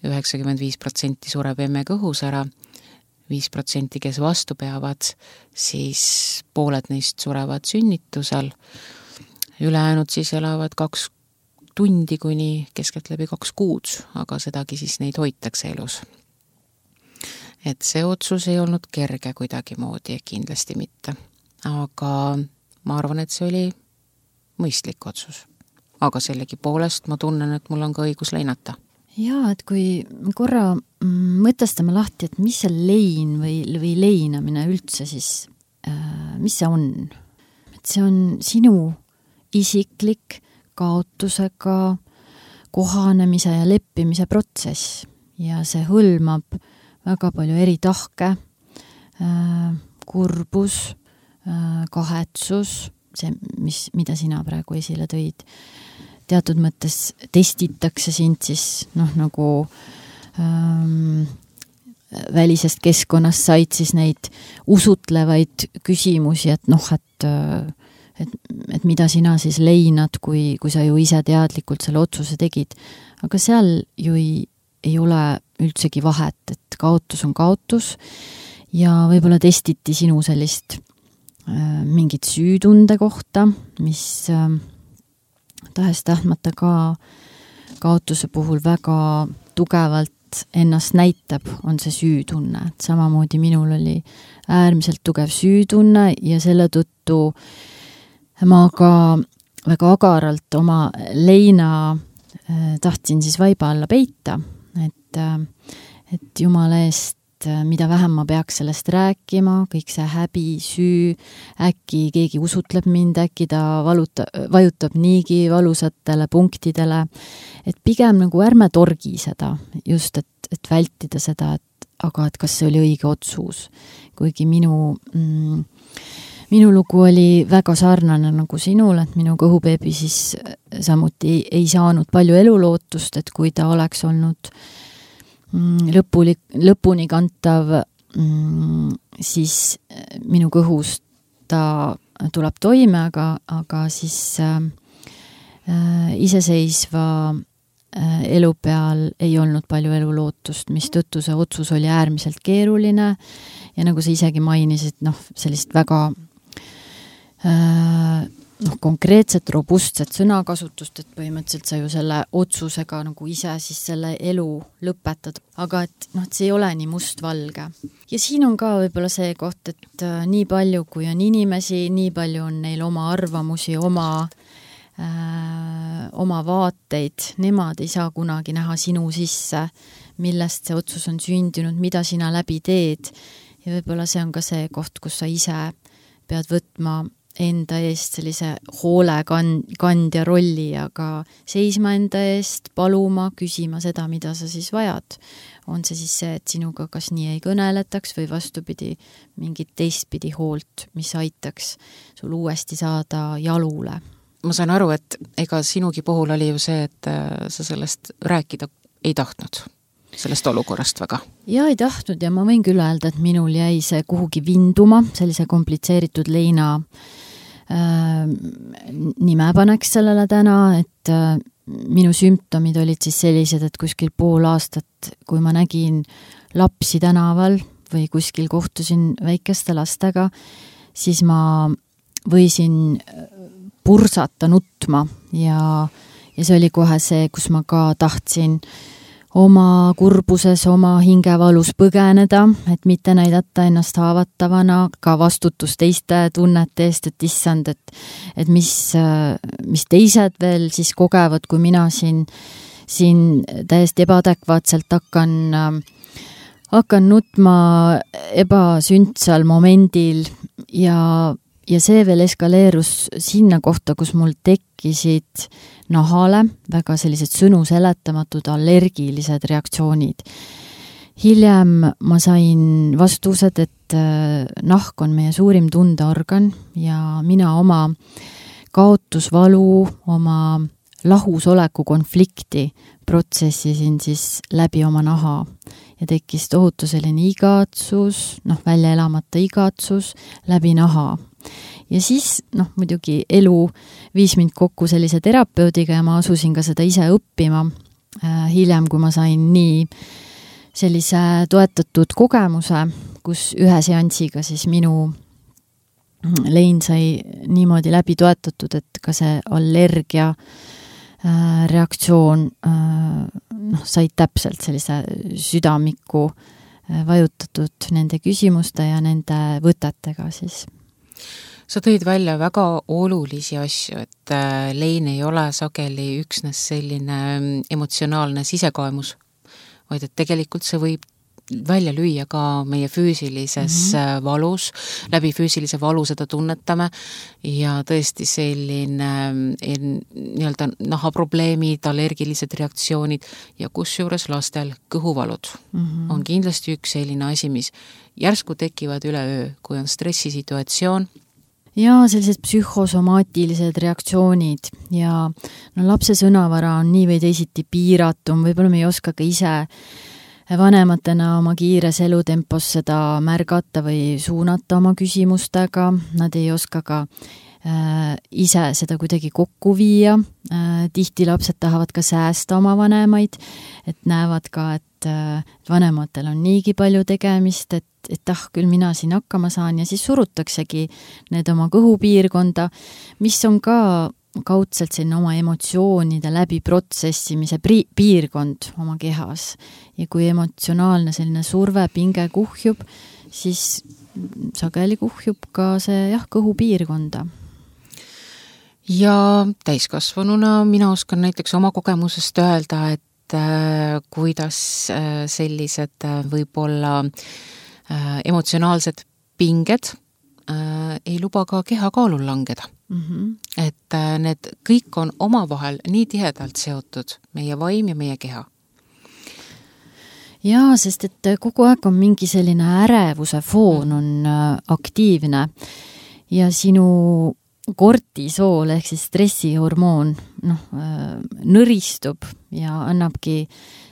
üheksakümmend viis protsenti sureb emme kõhus ära, viis protsenti, kes vastu peavad, siis pooled neist surevad sünnitusel, ülejäänud siis elavad kaks tundi kuni keskeltläbi kaks kuud, aga sedagi siis neid hoitakse elus. Et see otsus ei olnud kerge kuidagi moodi, kindlasti mitte. Aga ma arvan, et see oli mõistlik otsus. Aga sellegi poolest ma tunnen, et mul on ka õigus leinata. Jaa, et kui korra mõtestame lahti, et mis see lein või, või leinamine üldse siis, äh, mis see on? Et see on sinu isiklik kaotusega kohanemise ja leppimise protsess ja see hõlmab väga palju eri tahke, äh, kurbus, äh, kahetsus, see, mis, mida sina praegu esile tõid, teatud mõttes testitakse sind siis noh, nagu ähm, välisest keskkonnast said siis neid usutlevaid küsimusi, et noh, et, et, et mida sina siis leinad, kui, kui sa ju ise teadlikult selle otsuse tegid. Aga seal ju ei, ei ole üldsegi vahet, et kaotus on kaotus ja võib-olla testiti sinu sellist äh, mingit süütunde kohta, mis äh, tahes tahtmata ka kaotuse puhul väga tugevalt ennast näitab, on see süütunne. Et samamoodi minul oli äärmiselt tugev süütunne ja selle tõttu ma ka väga agaralt oma leina äh, tahtsin siis vaiba alla peita, et, äh, et jumala eest, mida vähem ma peaks sellest rääkima, kõik see häbi, süü, äkki keegi usutleb mind, äkki ta valuta, vajutab niigi valusatele punktidele, et pigem nagu ärme torgi seda, just et, et vältida seda, et aga et kas see oli õige otsus. Kuigi minu, mm, minu lugu oli väga sarnane nagu sinul, et minu kõhubeebi siis samuti ei, ei saanud palju elulootust, et kui ta oleks olnud lõpuni, lõpuni kantav, siis minu kõhus ta tuleb toime, aga, aga siis äh, iseseisva äh, elu peal ei olnud palju elulootust, mis tõttu see otsus oli äärmiselt keeruline ja nagu sa isegi mainisid, noh, sellist väga äh, noh, konkreetset, robustset sõnakasutust, et põhimõtteliselt sa ju selle otsusega nagu ise siis selle elu lõpetad, aga et noh, et see ei ole nii mustvalge. Ja siin on ka võib-olla see koht, et äh, nii palju, kui on inimesi, nii palju on neil oma arvamusi, oma, äh, oma vaateid, nemad ei saa kunagi näha sinu sisse, millest see otsus on sündinud, mida sina läbi teed ja võib-olla see on ka see koht, kus sa ise pead võtma enda eest sellise hoole kandja rolli, aga seisma enda eest, paluma, küsima seda, mida sa siis vajad. On see siis see, et sinuga kas nii ei kõneletaks või vastupidi mingit teistpidi hoolt, mis aitaks sul uuesti saada jalule. Ma saan aru, et ega sinugi puhul oli ju see, et sa sellest rääkida ei tahtnud, sellest olukorrast väga. Ja ei tahtnud ja ma võin küll öelda, et minul jäi see kuhugi vinduma, sellise komplitseeritud leina äh, nime paneks sellele täna, et äh, minu sümptomid olid siis sellised, et kuskil pool aastat, kui ma nägin lapsi tänaval või kuskil kohtusin väikeste lastega, siis ma võisin pursata nutma ja, ja see oli kohe see, kus ma ka tahtsin oma kurbuses, oma hingevalus põgeneda, et mitte näidata ennast haavatavana, ka vastutus teiste tunnete eest, et issand, et, et mis, mis teised veel siis kogevad, kui mina siin, siin täiesti ebaadekvaatselt hakkan, hakkan nutma ebasündsal momendil ja, ja see veel eskaleerus sinna kohta, kus mul tekkisid nahale väga sellised sõnu seletamatud allergilised reaktsioonid. Hiljem ma sain vastused, et nahk on meie suurim tundeorgan ja mina oma kaotusvalu, oma lahusoleku konflikti protsessisin siis läbi oma naha ja tekkis tohutu selline igatsus, noh, välja elamata igatsus läbi naha. Ja siis, noh, muidugi elu viis mind kokku sellise terapeudiga ja ma asusin ka seda ise õppima. Hiljem, kui ma sain nii sellise toetatud kogemuse, kus ühe seansiga siis minu lein sai niimoodi läbi toetatud, et ka see allergia reaktsioon noh, sai täpselt sellise südamiku vajutatud nende küsimuste ja nende võtetega siis. Sa tõid välja väga olulisi asju, et lein ei ole sageli üksnes selline emotsionaalne sisekaemus, vaid et tegelikult see võib välja lüüa ka meie füüsilises mm-hmm. valus, läbi füüsilise valu seda tunnetame ja tõesti selline nii-öelda nahaprobleemid, allergilised reaktsioonid ja kusjuures lastel kõhuvalud mm-hmm. on kindlasti üks selline asi, mis järsku tekivad üleöö, kui on stressisituatsioon. Ja sellised psühhosomaatilised reaktsioonid ja no, lapse sõnavara on nii või teisiti piiratum, võib-olla me ei oska ka ise vanematena oma kiires elutempos seda märgata või suunata oma küsimustega, nad ei oska ka äh, ise seda kuidagi kokku viia. Äh, tihti lapsed tahavad ka säästa oma vanemaid, et näevad ka, et äh, vanematel on niigi palju tegemist, et, et ah, küll mina siin hakkama saan ja siis surutaksegi need oma kõhupiirkonda, mis on ka kaudselt sinna oma emotsioonide läbi protsessimise pri- piirkond oma kehas. Ja kui emotsionaalne selline surve, pinge kuhjub, siis sageli kuhjub ka see jah, kõhupiirkonda. Ja täiskasvanuna mina oskan näiteks oma kogemusest öelda, et äh, kuidas äh, sellised äh, võib-olla äh, emotsionaalsed pinged äh, ei luba ka kehakaalul langeda. Mm-hmm. Et need kõik on omavahel nii tihedalt seotud, meie vaim ja meie keha. Jaa, sest et kogu aeg on mingi selline ärevuse foon on aktiivne ja sinu kortisool ehk siis stressihormoon noh, nõristub ja annabki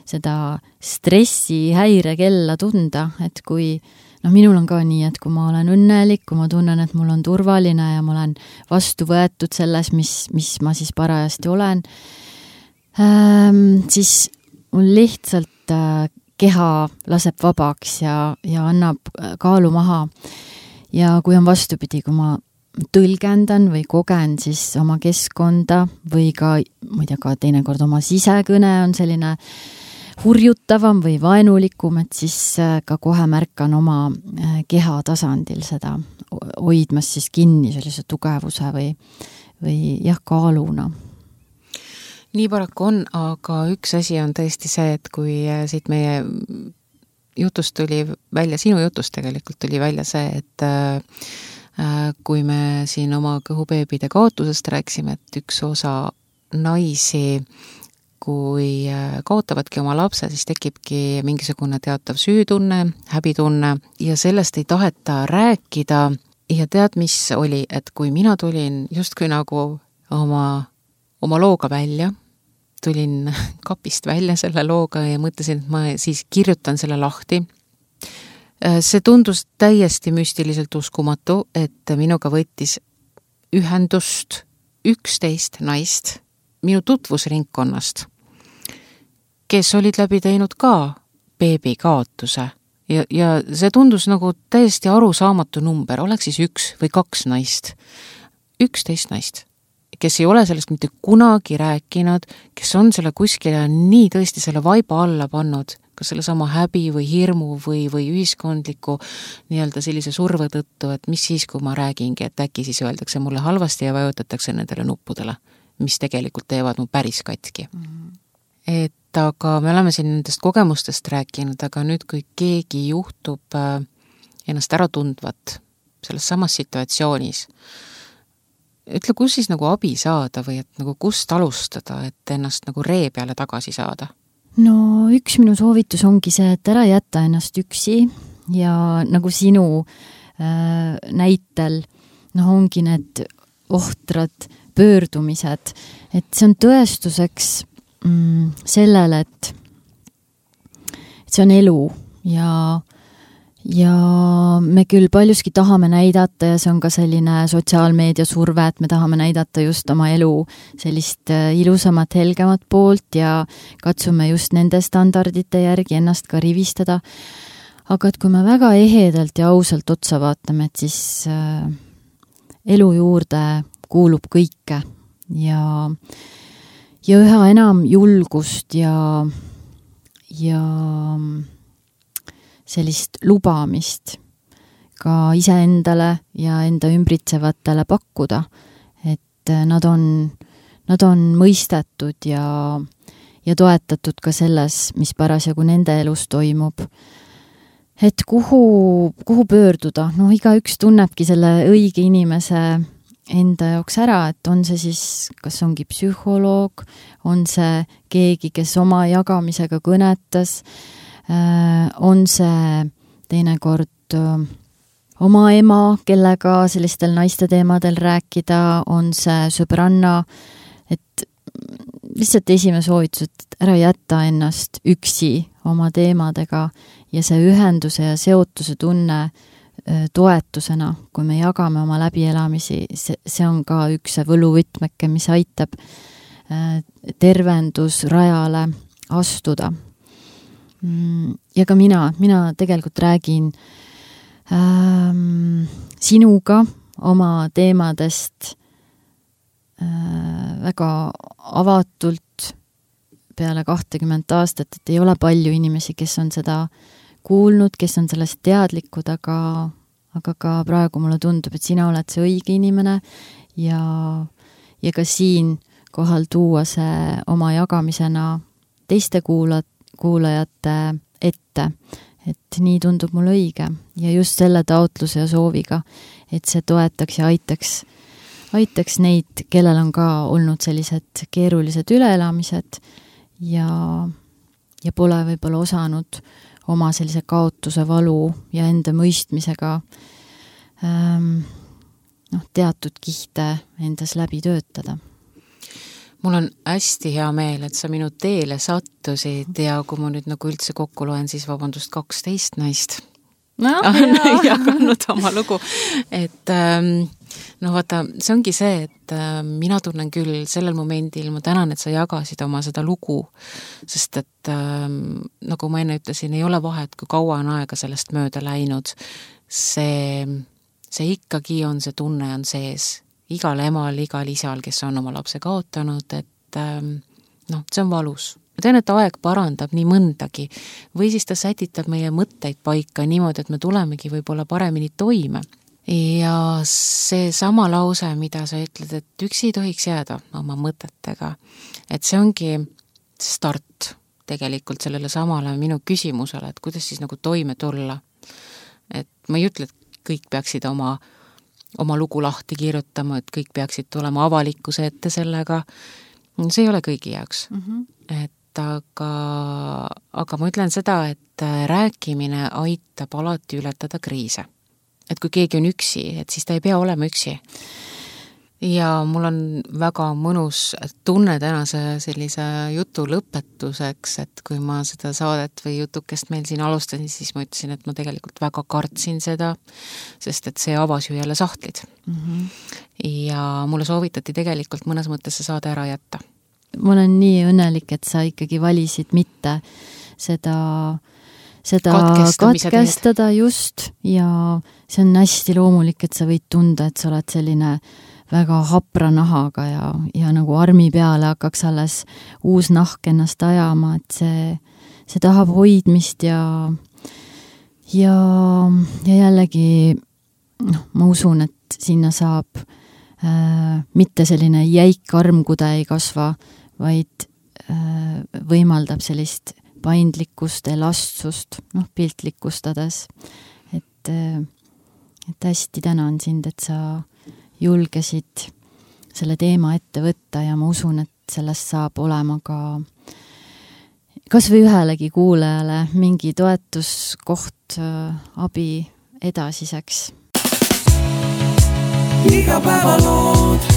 seda stressihäirekella tunda, et kui noh, minul on ka nii, et kui ma olen õnnelik, kui ma tunnen, et mul on turvaline ja ma olen vastu võetud selles, mis, mis ma siis parajasti olen, ähm, siis mul lihtsalt äh, keha laseb vabaks ja, ja annab kaalu maha. Ja kui on vastupidi, kui ma tõlgendan või kogen siis oma keskkonda või ka, ma ei tea, ka teinekord oma sisekõne on selline hurjutavam või vaenulikum, et siis ka kohe märkan oma keha tasandil seda, hoidmas siis kinni sellise tugevuse või, või jah, kaaluna. Nii paraku on, aga üks asi on tõesti see, et kui siit meie jutust tuli välja, sinu jutust tegelikult tuli välja see, et äh, kui me siin oma kõhubeebide kaotusest rääksime, et üks osa naisi kui kaotavadki oma lapse, siis tekibki mingisugune teatav süütunne, häbitunne ja sellest ei taheta rääkida. Ja tead, mis oli, et kui mina tulin justkui nagu oma, oma looga välja, tulin kapist välja selle looga ja mõtlesin, et ma siis kirjutan selle lahti. See tundus täiesti müstiliselt uskumatu, et minuga võttis ühendust üksteist naist minu tutvusringkonnast, kes olid läbi teinud ka beebi kaotuse ja, ja see tundus nagu täiesti arusaamatu number, oleks siis üks või kaks naist, üksteist naist, kes ei ole sellest mitte kunagi rääkinud, kes on selle kuskile nii tõesti selle vaiba alla pannud, kas selle sama häbi või hirmu või, või ühiskondliku nii-öelda sellise surve tõttu, et mis siis, kui ma räägingi, et äkki siis öeldakse mulle halvasti ja vajutatakse nendele nuppudele, mis tegelikult teevad mu päris katki. Mm-hmm. Et aga me oleme siin nendest kogemustest rääkinud, aga nüüd, kui keegi juhtub ennast ära tundvat selles samas situatsioonis, ütle, kus siis nagu abi saada või et nagu kust alustada, et ennast nagu ree peale tagasi saada? No üks minu soovitus ongi see, et ära jätta ennast üksi ja nagu sinu äh, näitel noh, ongi need ohtrad pöördumised, et see on tõestuseks mm, sellele, et, et see on elu ja ja me küll paljuski tahame näidata ja see on ka selline sotsiaalmeedia surve, et me tahame näidata just oma elu sellist ilusamat, helgemat poolt ja katsume just nende standardite järgi ennast ka rivistada. Aga et kui me väga ehedalt ja ausalt otsa vaatame, et siis äh, elu juurde kuulub kõike ja, ja üha enam julgust ja ja sellist lubamist ka iseendale ja enda ümbritsevatele pakkuda, et nad on, nad on mõistetud ja, ja toetatud ka selles, mis parasjagu nende elus toimub. Et kuhu, kuhu pöörduda? No igaüks tunnebki selle õige inimese enda jaoks ära, et on see siis, kas ongi psühholoog, on see keegi, kes oma jagamisega kõnetas, on see teinekord oma ema, kellega sellistel naiste teemadel rääkida, on see sõbranna, et lihtsalt esimene soovitus, et ära jätta ennast üksi oma teemadega ja see ühenduse ja seotuse tunne toetusena, kui me jagame oma läbielamisi, see, see on ka üks see võluvõtmeke, mis aitab tervendusrajale astuda. Ja ka mina, mina tegelikult räägin ähm, sinuga oma teemadest äh, väga avatult peale kahtekümmet aastat, et ei ole palju inimesi, kes on seda kuulnud, kes on sellest teadlikud, aga, aga ka praegu mulle tundub, et sina oled see õige inimene ja, ja ka siin kohal tuua see oma jagamisena teiste kuula, kuulajate ette, et nii tundub mulle õige ja just selle taotluse ja sooviga, et see toetaks ja aitaks, aitaks neid, kellel on ka olnud sellised keerulised üleelamised ja, ja pole võib-olla osanud oma sellise kaotuse valu ja enda mõistmisega ähm, noh, teatud kihte endas läbi töötada. Mul on hästi hea meel, et sa minu teele sattusid ja kui ma nüüd nagu üldse kokku loen, siis vabandust, kaksteist naist no, on jaganud oma lugu. Et no vaata, see ongi see, et mina tunnen küll sellel momendil, ma tänan, et sa jagasid oma seda lugu, sest et nagu ma enne ütlesin, ei ole vahet, kui kaua on aega sellest mööda läinud. See, see ikkagi on, see tunne on sees. Igal emal, igal isal, kes on oma lapse kaotanud, et noh, see on valus. Ma tean, et aeg parandab nii mõndagi või siis ta sätitab meie mõtteid paika niimoodi, et me tulemegi võib-olla paremini toime. Ja see sama lause, mida sa ütled, et üksi ei tohiks jääda oma mõtetega, et see ongi start tegelikult sellele samale minu küsimusele, et kuidas siis nagu toime tulla. Et ma ei ütle, et kõik peaksid oma oma lugu lahti kirjutama, et kõik peaksid tulema avalikkuse ette sellega. See ei ole kõigi jaoks. Mm-hmm. Et aga, aga ma ütlen seda, et rääkimine aitab alati ületada kriise. Et kui keegi on üksi, et siis ta ei pea olema üksi. Ja mul on väga mõnus tunne tänase sellise jutu lõpetuseks, et kui ma seda saadet või jutukest meil siin alustasin, siis ma ütlesin, et ma tegelikult väga kartsin seda, sest et see avas ju jälle sahtlid. Mm-hmm. Ja mulle soovitati tegelikult mõnes mõttes see saade ära jätta. Ma olen nii õnnelik, et sa ikkagi valisid mitte seda, seda katkestada just ja see on hästi loomulik, et sa võid tunda, et sa oled selline väga hapra nahaga ja, ja nagu armi peale hakkaks alles uus nahk ennast ajama, et see, see tahab hoidmist ja, ja, ja jällegi noh, ma usun, et sinna saab äh, mitte selline jäik arm, kuda ei kasva, vaid äh, võimaldab sellist paindlikkust, elastsust, noh, piltlikustades. Et, äh, et hästi tänan sind, et sa julgesid selle teema ette võtta ja ma usun, et sellest saab olema ka kas või ühelegi kuulajale mingi toetuskoht abi edasiseks. Igapäevalood